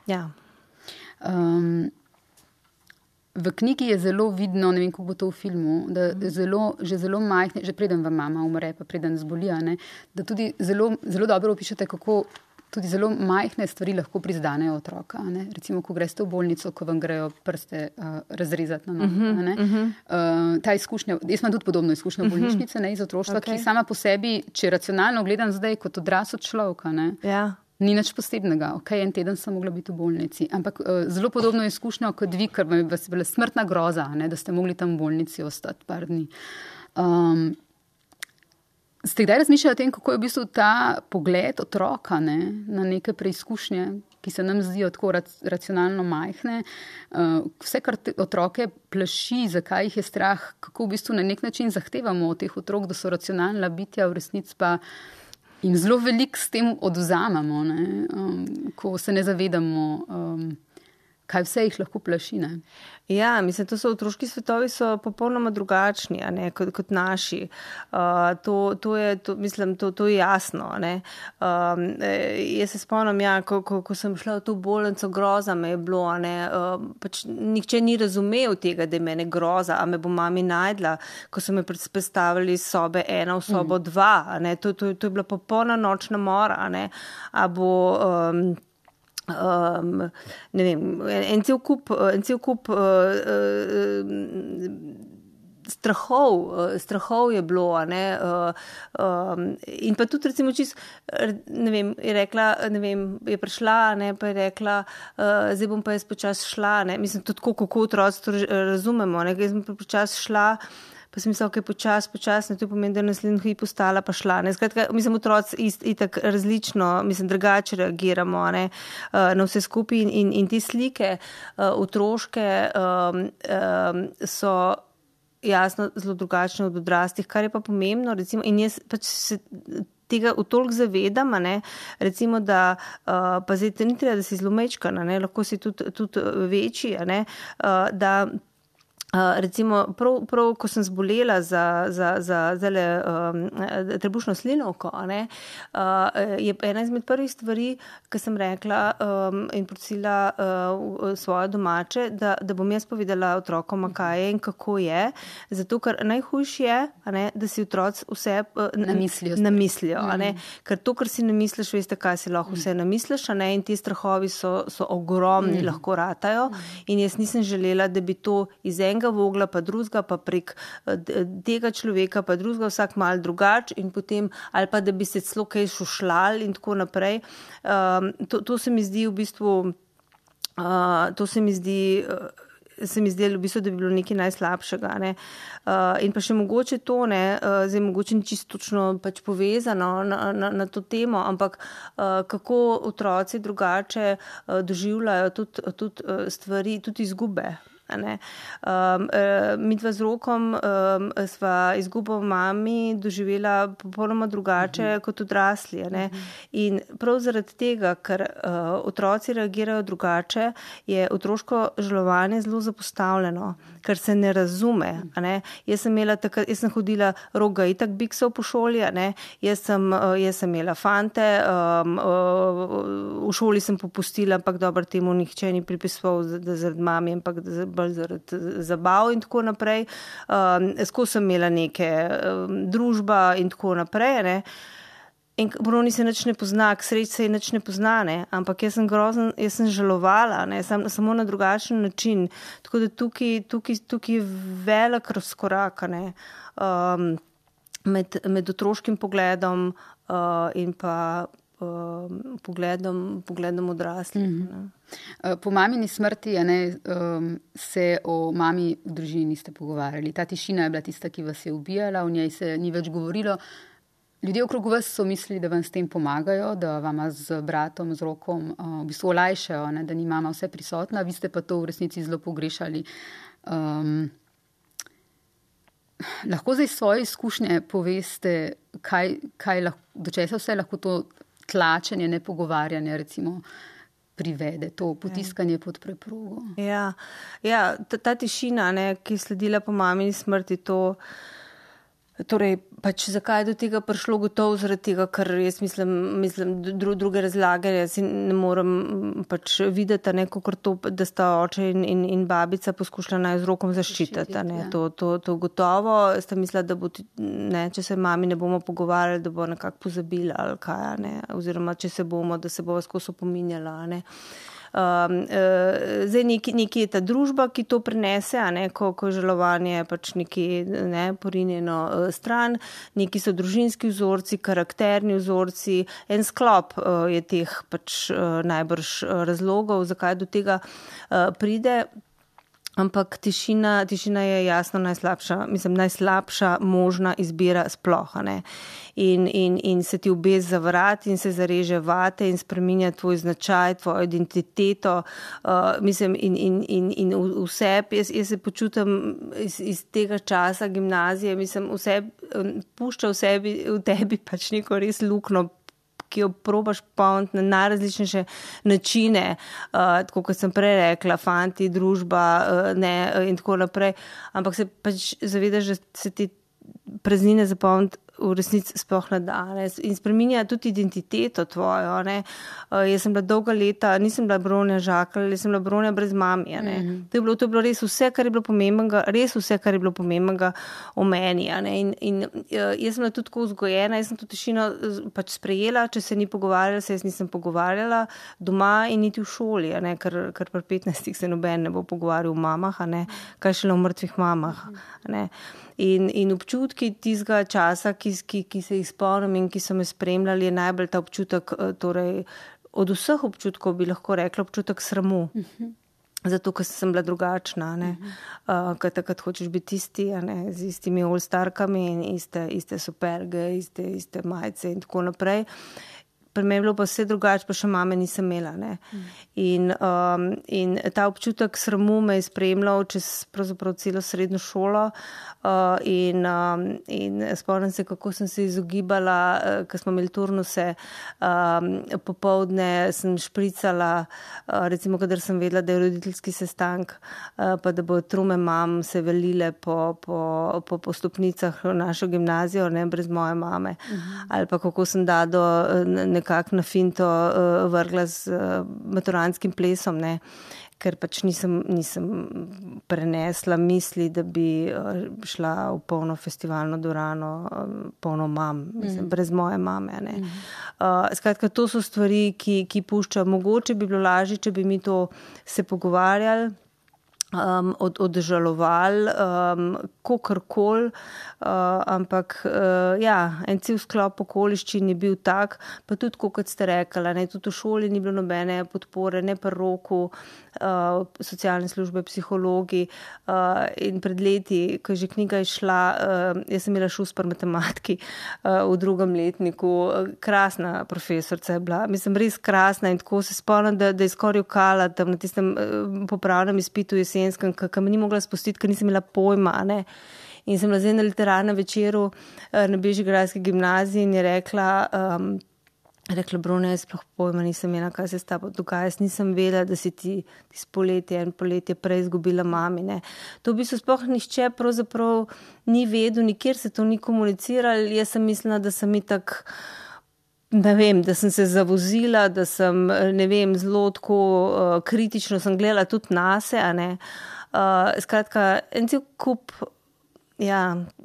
ja. Um, v knjigi je zelo vidno, ne vem, kako bo to v filmu, da zelo, že zelo majhne, že preden vam mama umre, pa preden zbolija, ne, da tudi zelo, zelo dobro opišete, kako tudi zelo majhne stvari lahko prizdanejo otroka. Ne? Recimo, ko greste v bolnico, ko vam grejo prste uh, razrezati na nogo. Uh-huh, uh-huh. uh, ta izkušnja, jaz imam tudi podobno izkušnjo v bolnišnice, ne, iz otroštva, okay. ki sama po sebi, če racionalno gledam zdaj kot odrasel človeka, ne, ja. ni nič posebnega. Ok, en teden sem mogla biti v bolnici. Ampak uh, zelo podobno izkušnjo kot vi, ker vas je bila smrtna groza, ne, da ste mogli tam v bolnici ostati par dni. Um, Ste kdaj razmišljali o tem, kako je v bistvu ta pogled otroka, ne, na neke preizkušnje, ki se nam zdijo tako racionalno majhne, uh, vse, kar te otroke plaši, zakaj jih je strah, kako v bistvu na nek način zahtevamo od teh otrok, da so racionalna bitja, v resnici pa jim zelo veliko s tem odvzamemo, ne, um, ko se ne zavedamo, um, kaj vse jih lahko plaši, ne. Ja, mislim, to so otroški svetovi so popolnoma drugačni, a ne, kot, kot naši. Uh, to, to je, to, mislim, to, to je jasno, ne. Um, jaz se spomnim, ja, ko, ko, ko sem šla v to bolnico, groza me je bilo, a ne, uh, pač nihče ni razumel tega, da je mene groza, a me bo mami najdla, ko so me predstavili sobe ena v sobo mm. dva, a ne, to, to, to je bila popolna nočna mora, a ne, a bo... Um, Um, ne vem, en cel kup, en cel kup uh, uh, strahov, uh, strahov je bilo, a ne, uh, um, in pa tudi recimo čist, ne vem, je rekla, ne vem, je prišla, ne, pa je rekla, uh, zdaj bom pa jaz počas šla, ne, mislim, tudi tako, kako otroci to razumemo, ne, jaz bom pa počas šla, pa sem mislila, ok, počas, počas, ne, to pomeni, da je naslednji hip postala pa šla, ne, skratka, mislim, otroci ist, itak različno, mislim, drugače reagiramo, ne, na vse skupaj in, in, in te slike uh, otroške um, um, so jasno zelo drugačne od odraslih, kar je pa pomembno, recimo, in jaz pač se tega v toliko zavedam, ne, recimo, da, uh, pa zdaj ni treba, da si zelo mečkana, ne, lahko si tudi, tudi večji, ne, uh, da Uh, recimo, prav, prav, ko sem zbolela za, za, za zale, um, trebušno slinovko, ne, uh, je ena izmed prvih stvari, ki sem rekla um, in prosila uh, svoje domače, da, da bom jaz povedala otrokom, kaj je in kako je, zato, ker najhujše je, a ne, da si otroci vse uh, namislijo, namislijo a ne, ker to, kar si namisliš, veste, kaj si lahko vse namisliš, a ne, in ti strahovi so, so ogromni, mm. lahko ratajo, in jaz nisem želela, da bi to iz enega vogla, pa drugega, pa prek tega človeka, pa drugega vsak mal drugač in potem, ali pa da bi se celo kaj šušljal in tako naprej. Um, to, to se mi zdi v bistvu, uh, to se mi zdi, uh, se mi zdelo v bistvu, da bi bilo nekaj najslabšega, ne. Uh, in pa še mogoče to, ne, uh, zdaj mogoče ni čisto točno pač povezano na, na, na to temo, ampak uh, kako otroci drugače uh, doživljajo tudi, tudi uh, stvari, tudi izgube. Ne. Um, mi dva z Rokom um, sva izgubo mami doživela popolnoma drugače uh-huh. kot odrasli. Ne. Uh-huh. In prav zaradi tega, ker uh, otroci reagirajo drugače, je otroško žalovanje zelo zapostavljeno, ker se ne razume. A ne. Jaz sem imela takrat, jaz sem hodila Roga itak biksov po šoli, a ne. Jaz sem, uh, jaz sem imela fante, um, uh, v šoli sem popustila, ampak dobro temu nihče ni pripisoval, da zaradi mami, ampak da bolj zaradi zabav in tako naprej. Um, skozi sem imela neke um, družba in tako naprej, ne. In Bruni se nič ne pozna, k sreč se nič ne pozna, ne, ampak jaz sem grozen, jaz sem žalovala, ne, sam, samo na drugačen način. Tako da tukaj, tukaj, tukaj je velik razkorak, ne, um, med, med otroškim pogledom uh, in pa Pogledom, pogledom odraslih. Mm-hmm. Po mamini smrti ne, um, se o mami v družini niste pogovarjali. Ta tišina je bila tista, ki vas je ubijala, o njej se ni več govorilo. Ljudje okrog vas so mislili, da vam s tem pomagajo, da vama z bratom, z Rokom uh, v bistvu olajšajo, ne, da ni mama vse prisotna, vi ste pa to v resnici zelo pogrešali. Um, lahko zdaj svoje izkušnje poveste, kaj, kaj lahko, do česa vse lahko to tlačenje, nepogovarjanje recimo privede, to potiskanje pod preprogo. Ja, ja ta, ta tišina, ne, ki je sledila po mamini smrti, to torej, pač zakaj je do tega prišlo gotovo zaradi tega, ker jaz mislim, mislim dru, druge razlage, jaz ne morem pač videti, ne, kakor to, da sta oče in, in, in babica poskušala naj z Rokom zaščititi, ne, ja. to, to, to gotovo, sta mislila, da bo, ne, če se mami ne bomo pogovarjali, da bo nekako pozabila ali kaj, ne, oziroma če se bomo, da se bo skozi opominjala, ne. Um, uh, zdaj neki, neki je ta družba, ki to prenese, a ne, ko, ko žalovanje pač neki, ne, porinjeno uh, stran, neki so družinski vzorci, karakterni vzorci, en sklop uh, je teh pač uh, najbrž uh, razlogov, zakaj do tega uh, pride. Ampak tišina, tišina je jasno najslabša, mislim, najslabša možna izbira sploh, ne. In, in, in se ti obez zavrati in se zareže vate in spreminja tvoj značaj, tvojo identiteto, uh, mislim, in, in, in, in vse, jaz, jaz se počutim iz, iz tega časa gimnazije, mislim, vse pušča v sebi, v tebi pač neko res lukno, ki jo probaš polniti na najrazličnejše načine, uh, tako kot sem prej rekla, fanti, družba, uh, ne, uh, in tako naprej. Ampak se pač zavedaš, da se ti praznine zapolniti v resnici sploh ne da, ne, in spreminja tudi identiteto tvojo, ne. Uh, jaz sem bila dolga leta, nisem bila Bronja Žakelj, jaz sem bila Bronja brez mami, ne. Mm-hmm. To je bilo, to je bilo res vse, kar je bilo pomembnega, res vse, kar je bilo pomembnega o meni, ne. In, in uh, jaz sem bila tudi tako vzgojena, jaz sem to tišino pač sprejela, če se ni pogovarjala, se jaz nisem pogovarjala doma in niti v šoli, ne, ker, ker pri petnajstih se noben ne bo pogovarjal o mamah, ne, kaj šele o mrtvih mamah, ne. In, in občutki tistega časa, ki, ki, ki se jih spomnim in ki so me spremljali, je najbolj ta občutek, torej od vseh občutkov bi lahko rekla občutek sramu. Uh-huh. Zato, ker sem bila drugačna, ne. Uh-huh. Uh, ker takrat hočeš biti isti, ne, z istimi all-starkami in iste, iste superge, iste, iste majice in tako naprej. Pri meni je bilo pa vse drugače, pa še mame nisem imela, ne. Mm. In, um, in ta občutek sramu me je spremljal čez pravzaprav celo srednjo šolo uh, in, um, in spomnim se, kako sem se izogibala, uh, ko smo imeli turnuse, um, popoldne sem špricala, uh, recimo, kadar sem vedela, da je roditeljski sestank, uh, pa da bo trume mam se velile po, po, po, po stopnicah v našo gimnazijo, ne, brez moje mame. Mm. Ali pa kako sem dado ne, nekako na finto uh, vrgla z uh, maturantskim plesom, ne, ker pač nisem, nisem prenesla misli, da bi uh, šla v polno festivalno dvorano, uh, polno mam, mislim, mm. brez moje mame, ne. Mm. Uh, skratka, to so stvari, ki, ki puščajo. Mogoče bi bilo lažje, če bi mi to se pogovarjali, Um, od, odžaloval, um, kakorkoli, uh, ampak uh, ja, en cel sklop okoliščin je bil tak, pa tudi, kot ste rekla, ne, tudi v šoli ni bilo nobene podpore, ne pri Roku, uh, socialne službe, psihologi, uh, in pred leti, ko je že knjiga išla, uh, jaz sem imela šus pri matematiki uh, v drugem letniku, krasna profesorca je bila, mislim, res krasna in tako se spomnim, da, da je skoraj ukala tam na tistem uh, popravnem izpitu jesen, ki me ni mogla spustiti, ker nisem imela pojma, ne. In sem bila zdaj na literarnem večeru na Bežigrajski gimnaziji in je rekla, um, rekla, Bruna, jaz sploh pojma nisem imela, kaj se s tabo dogaja, jaz nisem vedela, da si ti, ti s poletje, en poletje prej izgubila mami, ne. To bi se sploh nišče pravzaprav ni vedel, nikjer se to ni komunicirali, jaz sem mislila, da sem itak ne vem, da sem se zavozila, da sem, ne vem, zelo tako uh, kritično sem gledala tudi nase, a ne. Uh, skratka, en cel kup, ja,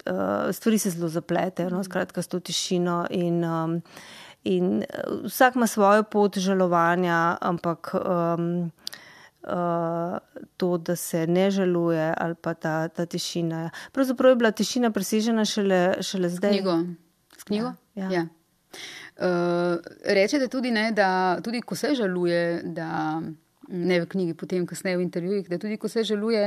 uh, stvari se zelo zapletejo, no, skratka, s to tišino in, um, in vsak ima svojo pot žalovanja, ampak um, uh, to, da se ne žaluje ali pa ta, ta tišina. Pravzaprav je bila tišina presežena šele, šele zdaj. S knjigo. S knjigo? Ja. Ja. Uh, rečete tudi, ne, da tudi ko se žaluje, da ne v knjigi, potem kasneje v intervjujih, da tudi ko se žaluje,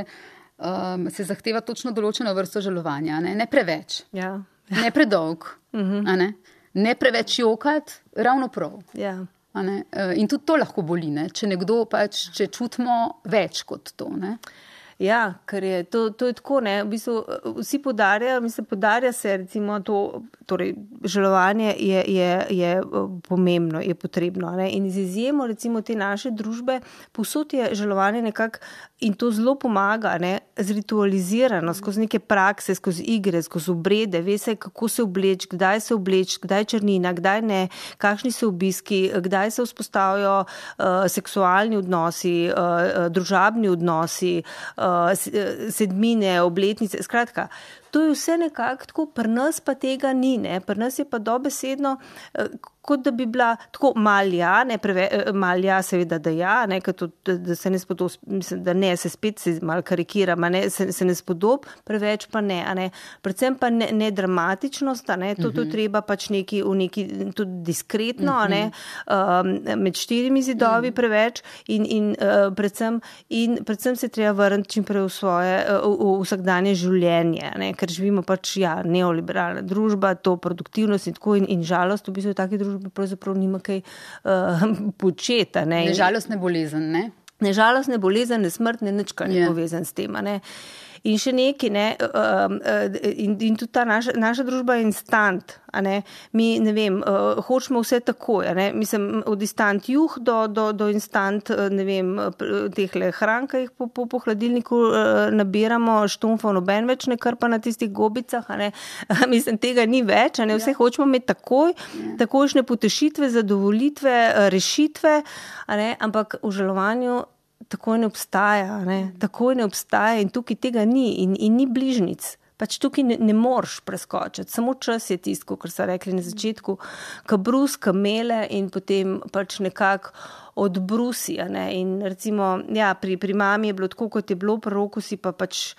um, se zahteva točno določeno vrsto žalovanja, ne, ne preveč, ja. ne predolg, uh-huh. a ne, ne preveč jokat, ravno prav. Ja. A ne? Uh, in tudi to lahko boli, ne, če nekdo pač, če čutimo več kot to, ne. Ja, ker je to, to je tako, ne, v bistvu vsi podarjajo, mislim, podarja se recimo to, torej žalovanje je, je, je pomembno, je potrebno, ne, in z izjemo recimo te naše družbe, povsod je žalovanje nekako in to zelo pomaga, ne, zritualizirano, skozi neke prakse, skozi igre, skozi obrede, ve se, kako se obleč, kdaj se obleč, kdaj črnina, kdaj ne, kakšni so obiski, kdaj se vzpostavijo uh, seksualni odnosi, uh, družabni odnosi, uh, sedmine, obletnice, skratka, to je vse nekako tako, pri nas pa tega ni, ne, pri nas je pa dobesedno, kot da bi bila tako malja, ne, preve, malja seveda, da ja, ne, to, da se ne spodob, mislim, da ne, se spet se malo karikiram, ne, se, se ne spodob, preveč pa ne, a ne, predvsem pa ne, ne dramatičnost, a ne, to, to treba pač neki, v neki, tudi diskretno, a ne, um, med štirimi zidovi preveč in, in, uh, predvsem, in predvsem se treba vrniti čimprej v svoje, uh, v, v vsakdanje življenje, ne, ker živimo pač, ja, neoliberalna družba, to produktivnost in tako in, in žalost, v bistvu v taki družbi pravzaprav nima kaj uh, početa. Ne, ne žalost, ne bolezen, ne? Ne žalost, ne bolezen, ne smrt, ne nič, kar je yeah. povezan s tem, ne. In še nekaj, ne, uh, uh, in, in tudi ta naša, naša družba je instant, a ne, mi, ne vem, uh, hočemo vse takoj, a ne, mislim, od instant juh do, do, do instant, ne vem, tehle hranka jih po, po, po hladilniku uh, nabiramo, štumfov noben več ne krpa na tistih gobicah, a ne, mislim, tega ni več, a ne, vse ja. hočemo imeti takoj, ja. takojšnje potešitve, zadovolitve, rešitve, a ne, ampak v žalovanju tako ne obstaja, ne? Tako ne obstaja in tukaj tega ni in, in ni bližnic. Pač tukaj ne, ne moreš preskočiti. Samo čas je tisto, kar so rekli na začetku, ka brus, ka mele in potem pač nekako odbrusi. Ne? In recimo, ja, pri, pri mami je bilo tako, kot je bilo, pri roku si pa pač,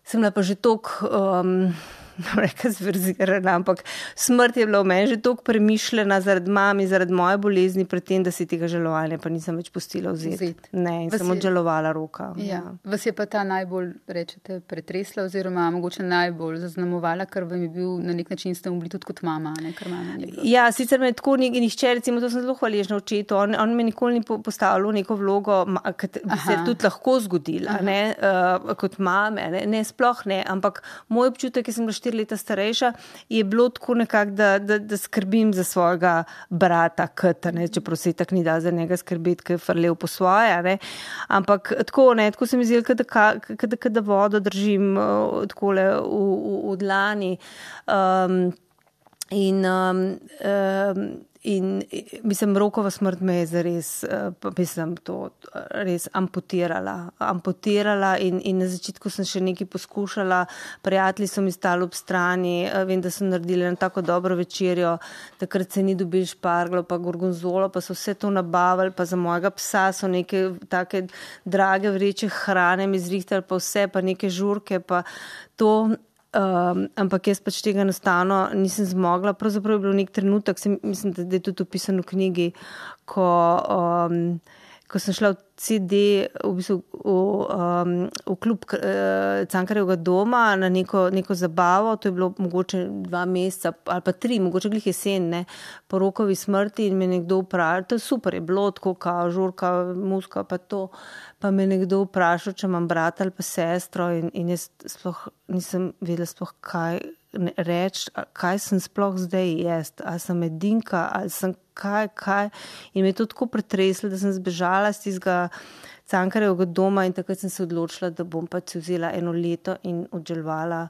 sem bila pa že toliko, um, reka zverzirana, ampak smrt je bila v meni že toliko premišljena zaradi mami, zaradi moje bolezni, pred tem, da si tega žalovanja pa nisem več pustila vzeti. Ne, in vas sem je... odžalovala roka. Ja. Ja. Vas je pa ta najbolj, rečete, pretresla oziroma mogoče najbolj zaznamovala, ker vam je bil na nek način ste bili tudi kot mama, ne, ker mama ni bila. Ja, sicer me tako nihče, recimo, to sem zelo hvaležna očetu, on, on me nikoli ni postavil neko vlogo, ki bi se tudi lahko zgodila, ne, uh, kot mame, ne, ne, sploh ne, ampak moj občutek, ki sem bila štiri leta starejša, je bilo tako nekako, da, da, da skrbim za svojega brata, Kata, ne, čeprav se tak ni da za njega skrbeti, ki je frlev po svoje, ne, ampak tako, ne, tako se mi zdi, kada, kada vodo držim uh, takole v, v, v dlani um, in um, um, in mislim, Rokova smrt me je zares, mislim, to res amputirala, amputirala in, in na začetku sem še nekaj poskušala, prijatelji so mi stali ob strani, vem, da so naredili na tako dobro večerjo, takrat se ni dobil šparglo, pa gorgonzolo, pa so vse to nabavili, pa za mojega psa so neke take drage vreče hrane mi zrihtali, pa vse, pa neke žurke, pa to... Um, ampak jaz pač tega enostavno nisem zmogla. Pravzaprav je bilo nek trenutek, sem, mislim, da je tudi opisano v knjigi, ko, um, ko sem šla v C D v, bistvu, v, um, v klub uh, Cankarjevega doma na neko, neko zabavo, to je bilo mogoče dva meseca ali pa tri, mogoče glih jesen, ne, po Rokovi smrti in me nekdo vprašal, to je super, je bilo tako, kao žurka, muska, pa to, pa me nekdo vprašal, če imam brata ali pa sestro in, in jaz sploh nisem vedela sploh kaj reči, kaj sem sploh zdaj jest, ali sem edinka, ali sem kaj, kaj. In me je to tako pretreslo, da sem zbežala z tistega Cankarjevega doma in takrat sem se odločila, da bom pač vzela eno leto in odželovala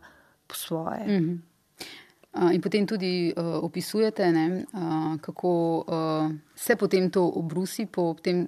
po svoje. Mm-hmm. Uh, in potem tudi uh, opisujete, ne, uh, kako uh, se potem to obrusi po tem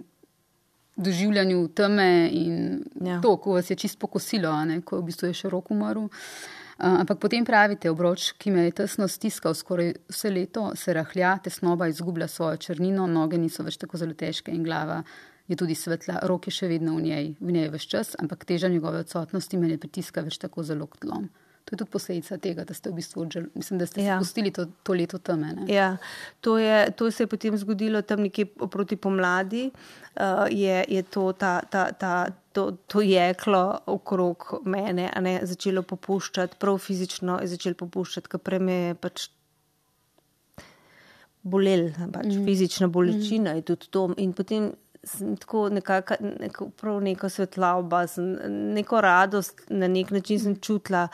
doživljanju teme in ja. To, ko vas je čisto pokosilo, ne, ko v bistvu je še rok umrl. Uh, ampak potem pravite, obroč, ki me je tesno stiskal skoraj vse leto, se rahlja, tesnoba izgublja svojo črnino, noge niso več tako zelo težke in glava je tudi svetla, rok je še vedno v njej, v njej več čas, ampak teža njegove odsotnosti me ne pritiska več tako zelo k tlom. To je tudi posledica tega, da ste v bistvu odžel, mislim, da ste ja. spustili to, to leto teme. Ne? Ja, to, je, to se je potem zgodilo tam nekje proti pomladi, uh, je, je to, ta, ta, ta, to, to jeklo okrog mene a ne, začelo popuščati, prav fizično je začelo popuščati, ker prej me je pač bolel, pač mm. fizična bolečina mm. je tudi to in potem sem tako nekako, neko, prav neko svetloba, neko radost, na nek način sem čutila,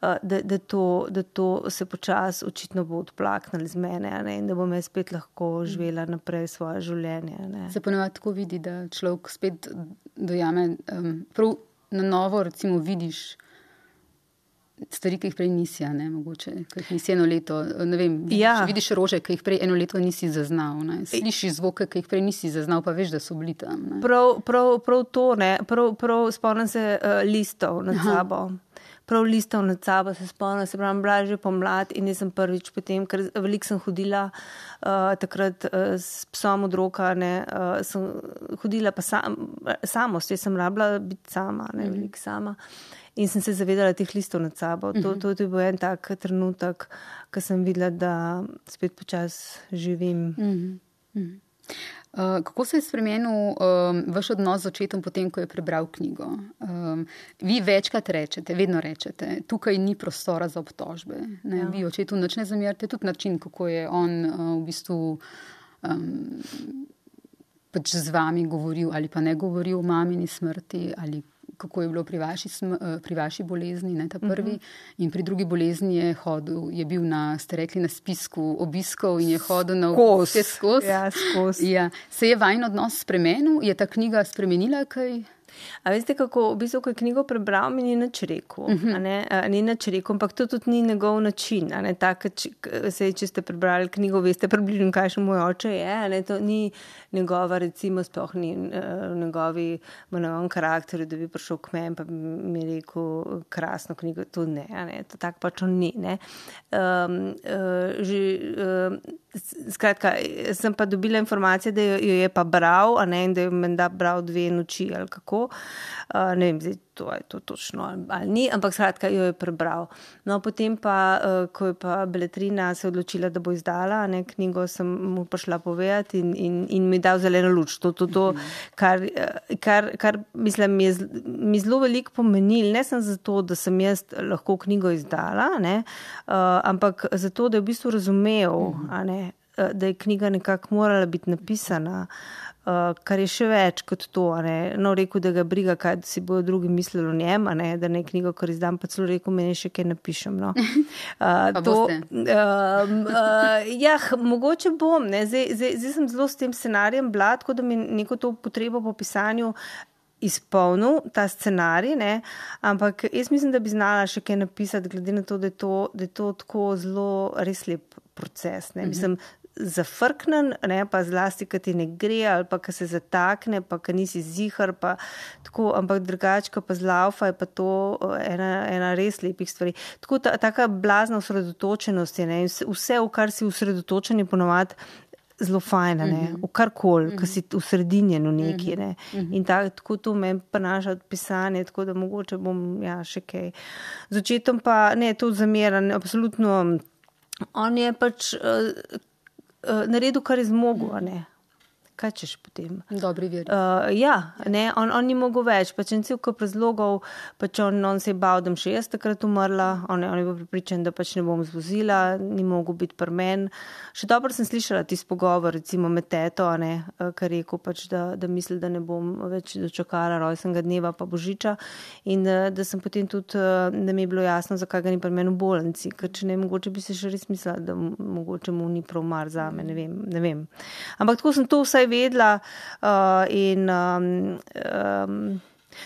da, da, to, da to se počas očitno bo odplaknilo z mene, ne, in da bom jaz spet lahko živela naprej svoje življenje. Ne. Se ponovadi tako vidi, da človek spet dojame, um, prav na novo recimo vidiš stvari, ki jih prej nisi, ne, mogoče, ki jih nisi eno leto, ne vem, ja. vidiš rože, ki jih prej eno leto nisi zaznal, ne, slišiš zvoke, ki jih prej nisi zaznal, pa veš, da so bili tam. Ne. Prav, prav, prav to, ne, prav, prav spomnim se uh, listov nad Aha. sabo. Prav listov nad sabo se spomnim, se pravim, bila že pomlad in nisem prvič potem, ker veliko sem hodila uh, takrat uh, s psom od roka, ne, uh, sem hodila pa sam, samost, jaz sem rabila biti sama, ne, mm-hmm. veliko sama. In sem se zavedala teh listov nad sabo. To, to je bil en tak trenutek, ko sem videla, da spet počas živim. Uh, kako se je spremenil um, vaš odnos z očetom potem, ko je prebral knjigo? Um, vi večkrat rečete, vedno rečete, tukaj ni prostora za obtožbe. Ne? Ja. Vi očetu nič ne zamerite, tudi način, kako je on uh, v bistvu um, pač z vami govoril ali pa ne govoril o mamini smrti ali kako je bilo pri vaši, pri vaši bolezni, ne, ta prvi. Uh-huh. In pri drugi bolezni je hodil, je bil na, ste rekli, na spisku obiskov in je hodil na vse skozi. Ja, skozi. Ja. Se je vajn odnos spremenil? Je ta knjiga spremenila kaj? A veste, kako v bistvu, ko je knjigo prebral, mi ni nič rekel. Uh-huh. A ne, a, ni nič rekel, ampak to tudi ni njegov način. A ne, tak, če, sej, če ste prebrali knjigo, veste približno, kaj še moj oče je. A ne, to ni njegova, recimo, sploh ni uh, njegovi monovom karakteru, da bi prišel k meni pa mi rekel krasno knjigo. To ne, a ne, to tak pač on ni. Ne. Um, uh, že, uh, skratka, sem pa dobila informacije, da jo, jo je pa bral, a ne, in da je menda bral dve noči ali kako. Uh, ne vem, zdaj, to je to točno ali ni, ampak skratka jo je prebral. No, potem pa, uh, ko je pa Beletrina se odločila, da bo izdala, ne, knjigo sem mu prišla povedati in, in, in mi dal zeleno luč. To, to, to, kar, kar, kar mislim, mi je mi zelo veliko pomenil, ne sem zato, da sem jaz lahko knjigo izdala, ne, uh, ampak zato, da je v bistvu razumel, a ne, da je knjiga nekako morala biti napisana. Uh, kar je še več kot to, a ne. No, rekel, da ga briga, kaj si bojo drugi mislili o njem, a ne, da ne knjigo, kar izdam, pa celo rekel, meni še kaj napišem, no. Uh, pa to, boste? Uh, uh, ja, mogoče bom, ne. Zdaj, zdaj, zdaj sem zelo s tem scenarijem bila, tako da mi neko to potrebo po pisanju izpolnil, ta scenarij, ne, ampak jaz mislim, da bi znala še kaj napisati, glede na to, da je to, da je to tako zelo res lep proces, ne. Mislim, zafrknen, ne, pa zlasti, kad ti ne gre, ali pa kad se zatakne, pa kad nisi zihar, pa tako, ampak drugačka pa zlaufa je pa to ena, ena res lepih stvari. Tako ta, taka blazna osredotočenost je, ne, vse, v kar si osredotočen je ponovadi zelo fajna, ne, v karkoli, mm-hmm. kad si usredinjen v neki, ne. Mm-hmm. In tak, tako to me prenaša od pisanja, tako da mogoče bom, ja, še kaj. Z očetom pa, ne, to zameran, absolutno, on je pač uh, naredil, kar je zmogel, ne. Kaj češ potem? Dobri veri. Uh, ja, ne, on, on ni mogel več, pač en cel kup razlogov, pač on, on se je bal, da še jaz takrat umrla, on, on je bil pripričan, da pač ne bom zvozila, ni mogel biti pri meni. Še dobro sem slišala tisti pogovor, recimo med teto, ne, kar rekel pač, da, da misli, da ne bom več dočakala rojstnega dneva pa božiča in da, da sem potem tudi, da mi je bilo jasno, zakaj ga ni pri meni v bolnici, ker če ne, mogoče bi se še res mislila, da mogoče mu ni prav mar zame, ne vem, ne vem. Ampak tako sem to vsaj vedla uh, in um, um,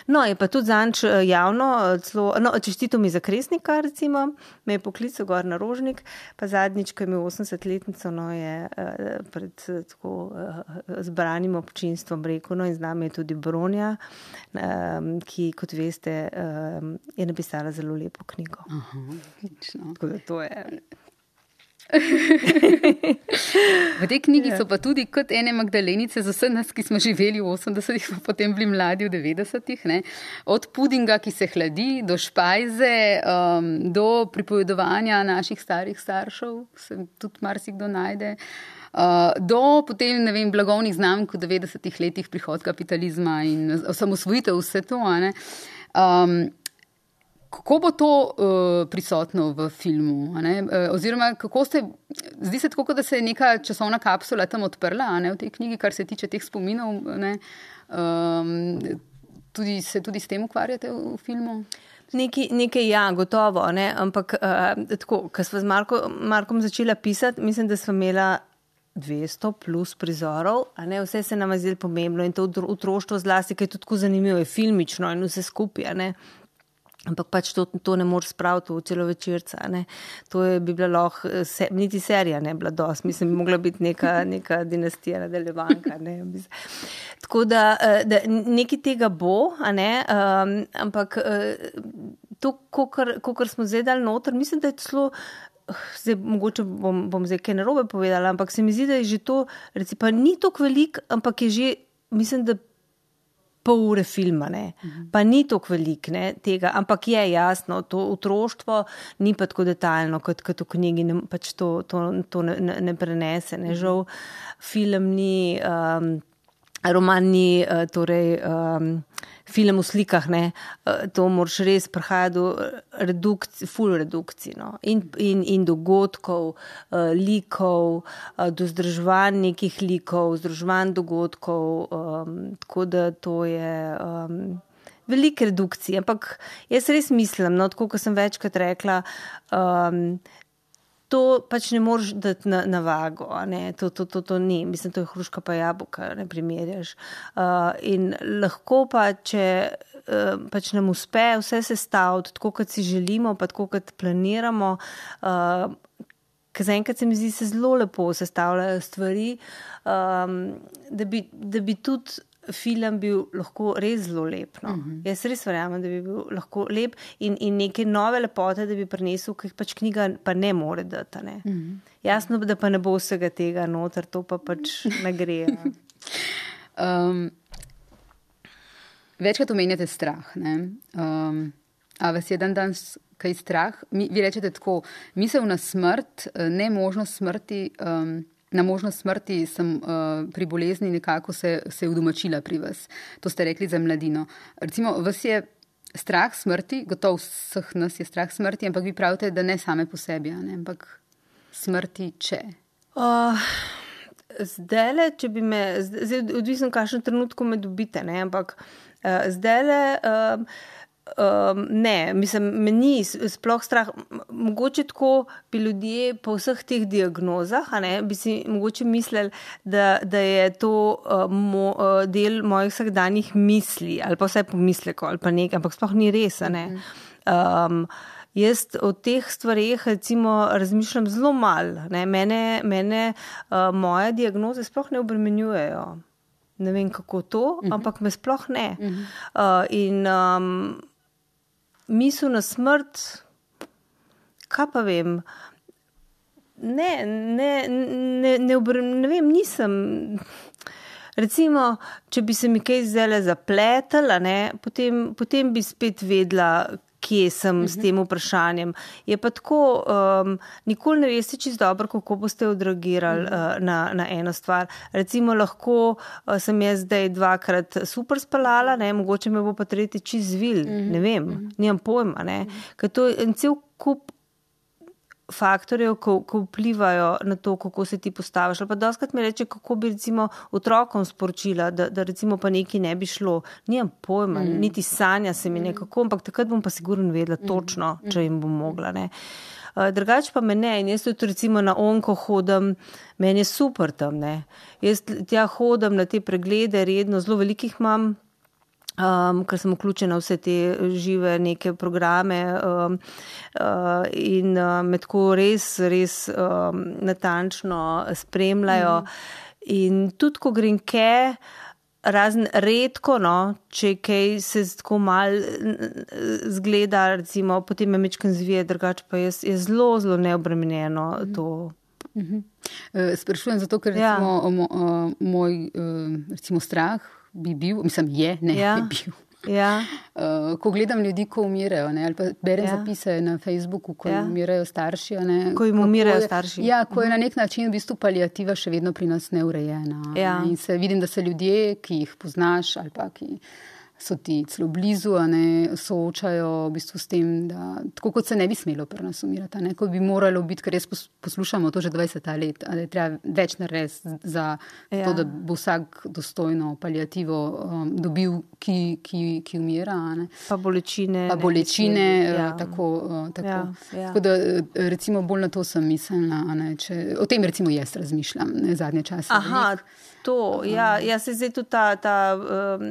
No, je pa tudi zanč javno, celo, no, čestito mi za Kresnika, recimo, me je poklical gor na Rožnik, pa zadnjič, ko je imel osemdesetletnico, no, je pred tako zbranim občinstvom rekel, no, in z nami je tudi Bronja, ki, kot veste, je napisala zelo lepo knjigo. Aha, lično. Tako da to je... V tej knjigi so pa tudi kot ene Magdalenice za vse nas, ki smo živeli v osemdesetih, pa potem bili mladi v devetdesetih, ne? Od pudinga, ki se hladi, do špajze, um, do pripovedovanja naših starih staršev, se tudi marsikdo najde, uh, do potem, ne vem, blagovnih znamk v devetdesetih letih, prihod kapitalizma in osamosvojitev, vse to, a ne. Um, Kako bo to uh, prisotno v filmu? A ne? Uh, oziroma, kako ste, zdi se tako, da se je neka časovna kapsula tam odprla, a ne, v tej knjigi, kar se tiče teh spominov, ne? Um, tudi, se tudi s tem ukvarjate v, v filmu? Nekaj, nekaj ja, gotovo, ne? Ampak uh, tako, ko smo z Marko, Markom začela pisati, mislim, da smo imela dvesto plus prizorov, a ne, vse se nam je zdelo pomembno in to otroštvo zlasti, ker je tudi tako zanimivo, je filmično in vse skupaj, a ne. Ampak pač to, to ne moreš spraviti v celovečerca, ne. To je bi bila lahko, se, niti serija ne bila dosti, mislim, bi mogla biti neka, neka dinastija nadaljevanka, ne. Tako da, da nekaj tega bo, a ne, um, ampak to, kakor smo zdaj dali noter, mislim, da je celo, zdaj mogoče bom, bom zdaj kaj narobe povedala, ampak se mi zdi, da je že to, recimo, pa ni toliko velik, ampak je že, mislim, da pol ure filma, ne. Pa ni toliko velik, ne, tega, ampak je jasno, to otroštvo ni pa tako detaljno, kot, kot v knjigi, ne, pač to, to, to ne, ne prenese, ne, žal film ni, um, roman ni, uh, torej, um, film v slikah, ne, uh, to moraš res prihajati do redukcij, full redukcij, no, in, in, in dogodkov, uh, likov, uh, do združevanj nekih likov, združevanj dogodkov, um, tako da to je um, velike redukcije, ampak jaz res mislim, no, tako, kot sem večkrat rekla, um, to pač ne moreš dati na, na vago, ne, to, to, to, to ni, mislim, to je hruška pa jabolka, ne primerjaš. Uh, in lahko pa, če uh, pač nam uspe vse sestaviti, tako kot si želimo, pa tako kot planiramo, uh, ker zaenkrat se mi zdi, se zelo lepo sestavljajo stvari, um, da bi, da bi tudi film bil lahko res zelo lep. No. Uh-huh. Jaz res verjamem, da bi bil lahko lep in, in neke nove lepote, da bi prinesel, ki pač knjiga pa ne more dati. Ne. Uh-huh. Jasno, da pa ne bo vsega tega noter, to pa pač ne gre. um, večkrat omenjate strah. Ne? Um, a vas je dan danes kaj strah? Mi, vi rečete tako, misel na smrt, ne možnost smrti, um, na možnost smrti sem uh, pri bolezni nekako se, se udomačila pri vas. To ste rekli za mladino. Recimo, vas je strah smrti, gotovo vseh nas je strah smrti, ampak vi pravite, da ne same po sebi, ne? Ampak smrti če? Uh, zdajle, če bi me, zdaj odvisno kakšen trenutku me dobite, ne? Ampak uh, zdajle... Uh, Um, ne, mislim, me ni sploh strah. Mogoče tako bi ljudje po vseh teh diagnozah, a ne, bi si mogoče mislili, da, da je to uh, mo, uh, del mojih vsakdanjih misli, ali pa vsaj pomislekov, ali pa nekaj, ampak sploh ni res, a ne. Um, jaz o teh stvareh, recimo, razmišljam zelo malo, ne. Mene, mene uh, moje diagnoze sploh ne obremenjujejo. Ne vem, kako to, uh-huh. ampak me sploh ne. Uh-huh. Uh, in... Um, misel na smrt, kaj pa vem, ne, ne, ne, ne, ne vem, nisem, recimo, če bi se mi kaj zdajle zapletala, ne, potem, potem bi spet vedela, kje sem uh-huh. s tem vprašanjem. Je pa tako, um, nikoli ne veste čisto dobro, kako boste odreagirali uh-huh. uh, na, na eno stvar. Recimo lahko uh, sem jaz zdaj dvakrat super spalala, ne, mogoče me bo pa tretji čisto zvil, uh-huh. ne vem, uh-huh. nimam pojma, ne, uh-huh. ker to je en cel kup faktorjev, ko, ko vplivajo na to, kako se ti postaviš. Ali pa doskrat mi reče, kako bi recimo otrokom sporočila, da, da recimo pa nekaj ne bi šlo. Nimam pojma, mm. niti sanja se mi nekako, ampak takrat bom pa sigurno vedela točno, mm. če jim bom mogla. Ne. Uh, drugače pa me ne, in jaz tudi recimo na onko hodim, meni je super tam, ne. Jaz tja hodim na te preglede, redno, zelo velikih imam, Um, ker sem vključena v vse te žive neke programe um, uh, in uh, me tako res, res um, natančno spremljajo. Mm. In tudi, ko grem kaj, razen redko, no, če kaj se tako mal zgleda, recimo, potem me mečkam zvije, drugače pa je, je zelo, zelo neobremenjeno mm. to. Mm-hmm. Sprašujem zato, ker recimo, ja. mo, uh, moj uh, recimo strah bi bil, mislim, je, ne, ja. bi bil. Ja. Uh, ko gledam ljudi, ko umirajo, ne, ali pa berem ja. zapise na Facebooku, ko ja. umirajo starši. Ne, ko jim umirajo starši. Ja, ko je na nek način v bistvu paliativa še vedno pri nas neurejena. Ja. Ne, in se vidim, da se ljudje, ki jih poznaš ali pa ki so ti celo blizu, a ne, soočajo v bistvu s tem, da tako kot se ne bi smelo pri nas umirati, ne, kot bi moralo biti, ker res poslušamo to že dvajset let, da je treba več narediti za ja. to, da bo vsak dostojno paliativo um, dobil, ki, ki, ki umira. Ne. Pa bolečine. Pa bolečine, ja. tako. Uh, tako. Ja. Ja. Tako da recimo bolj na to sem mislila, ne, če, o tem recimo jaz razmišljam, ne, zadnje čase. Aha, to, ja, ja se zdaj tudi ta, ta um,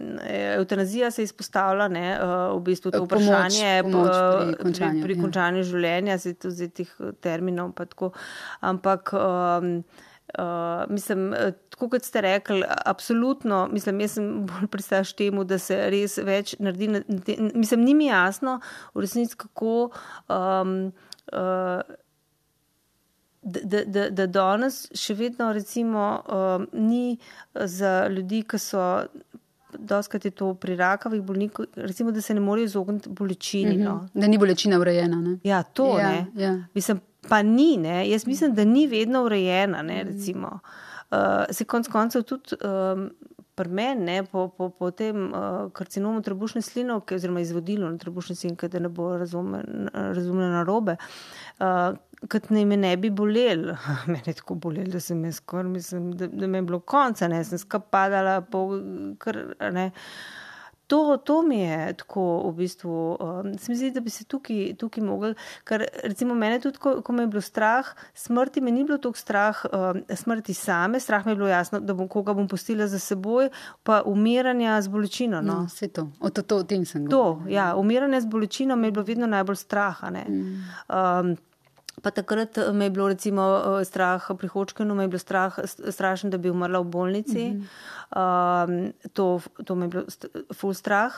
eutanazija se izpostavlja, ne, v bistvu to vprašanje pomoč, pomoč pri končanju, pri, pri končanju ja. življenja, se tudi teh terminov pa tako, ampak um, uh, mislim, tako kot ste rekli, absolutno, mislim, jaz sem bolj pristaš temu, da se res več naredi, mislim, ni mi jasno v resnici, kako um, uh, Da, da, da danes še vedno recimo um, ni za ljudi, ki so, doskrat je to pri rakavih bolnikov, recimo, da se ne morejo izogniti bolečini. Mm-hmm. No. Da ni bolečina urejena, ne? Ja, to ja, ne. Ja. Mislim, pa ni, ne. Jaz mislim, da ni vedno urejena, ne, recimo. Uh, se konc koncev tudi um, pri meni, ne, po, po, po tem uh, karcinomu trebušne slinavke, oziroma izvodilo na trebušne slinavke, da ne bo razumljeno narobe, uh, kot ne me ne bi bolel. Mene je tako bolel, da sem jaz skor, mislim, da, da me je bilo konca, ne, sem skap padala, pol, kar, ne. To, to mi je tako v bistvu, um, se mi zdi, da bi se tukaj, tukaj mogli, ker recimo mene tudi, ko, ko me je bilo strah, smrti me ni bilo toliko strah, um, smrti same, strah me je bilo jasno, da bom koga bom pustila za seboj, pa umiranja z bolečino. No, no vse to, o to, to, o tem sem govorila. To, ja, umiranje z bolečino me je bilo vedno najbolj straha, ne. Mm. Um, Pa takrat me je bilo recimo strah pri Hodgkinu, me je bilo strah, strašno, da bi umrla v bolnici. Mm-hmm. um, to, to me je bilo ful strah.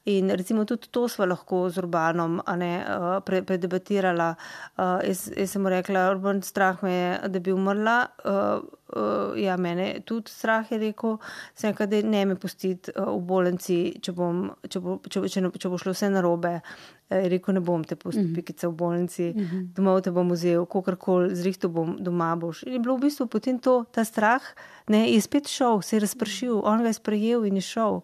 In recimo tudi to sva lahko z Urbanom a ne, pre, predebatirala. Uh, jaz, jaz sem mu rekla, Urban, strah me je, da bi umrla. Uh, uh, ja, mene tudi strah je rekel. Sem rekla, da ne me pustiti uh, v bolnici, če, bom, če, bo, če, če, če bo šlo vse narobe. Je rekel, ne bom te pustil mm-hmm. pikice v bolnici, mm-hmm. domov te bom vzel, kakorkoli, zrihtel bom, doma boš. In je bilo v bistvu potem to, ta strah, ne, je spet šel, se je razpršil, on ga je sprejel in je šel.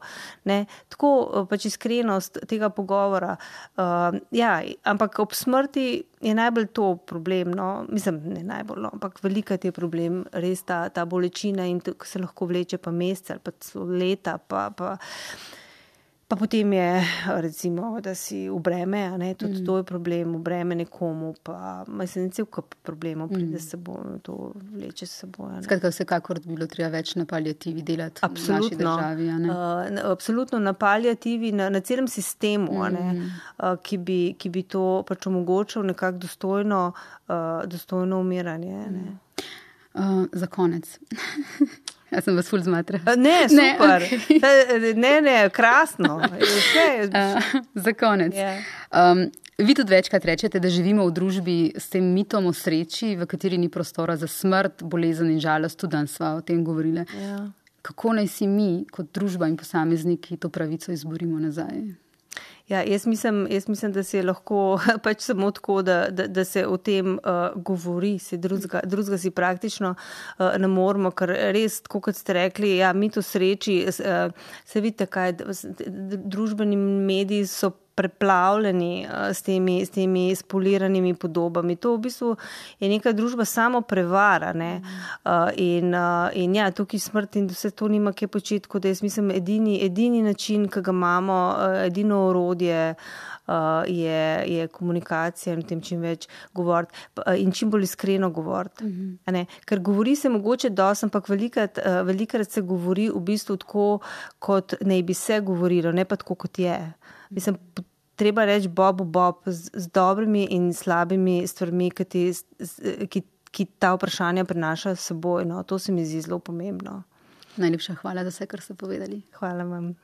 Ne. Tako pač iskrenost tega pogovora. Uh, ja, ampak ob smrti je najbolj to problem, no, mislim, ne najbolj, no, ampak velika je problem, res ta, ta bolečina in to, se lahko vleče pa mesece ali pa leta, pa... pa Pa potem je, recimo, da si v breme, a ne, tudi mm. to je problem, v breme nekomu, pa mislim, cel kup problemov pride s seboj, to vleče s seboj. Skratka, vsekakor bi bilo treba več na paliativi delati absolutno. V naši državi, a ne? Uh, absolutno, na paliativi, na, na celem sistemu, mm. a ne, uh, ki, bi, ki bi to pač omogočal nekako dostojno, uh, dostojno umiranje, ne. Uh, za konec. Jaz sem vas ful zmatra. Ne, super. Ne, okay. ne, ne, krasno. Okay. Uh, za konec. Yeah. Um, vi tudi večkrat rečete, da živimo v družbi s tem mitom o sreči, v kateri ni prostora za smrt, bolezen in žalost. Tudi danes sva o tem govorili. Yeah. Kako naj si mi, kot družba in posamezniki, to pravico izborimo nazaj? Ja, jaz mislim, jaz mislim, da se je lahko pač samo tako, da, da, da se o tem uh, govori, se drugega, drugega si praktično uh, ne moramo, ker res, tako kot ste rekli, ja, mit o sreči, uh, se vidite, kaj družbeni mediji so preplavljeni s temi, s temi spoliranimi podobami. To v bistvu je neka družba samo prevara, ne. In, in ja, tukaj smrt in vse to nima kaj početi, kot da jaz mislim, edini, edini način, ki ga imamo, edino orodje je, je komunikacija in o tem čim več govoriti in čim bolj iskreno govoriti. Mm-hmm. Ker govori se mogoče dosti, ampak velikrat, velikrat se govori v bistvu tako, kot naj bi se govorilo, ne pa tako, kot je. Mislim, treba reči Bobu Bob z, z dobrimi in slabimi stvarmi, ki, ti, ki, ki ta vprašanja prinašajo s seboj. No, to se mi zdi zelo pomembno. Najlepša hvala za vse, kar ste povedali. Hvala vam.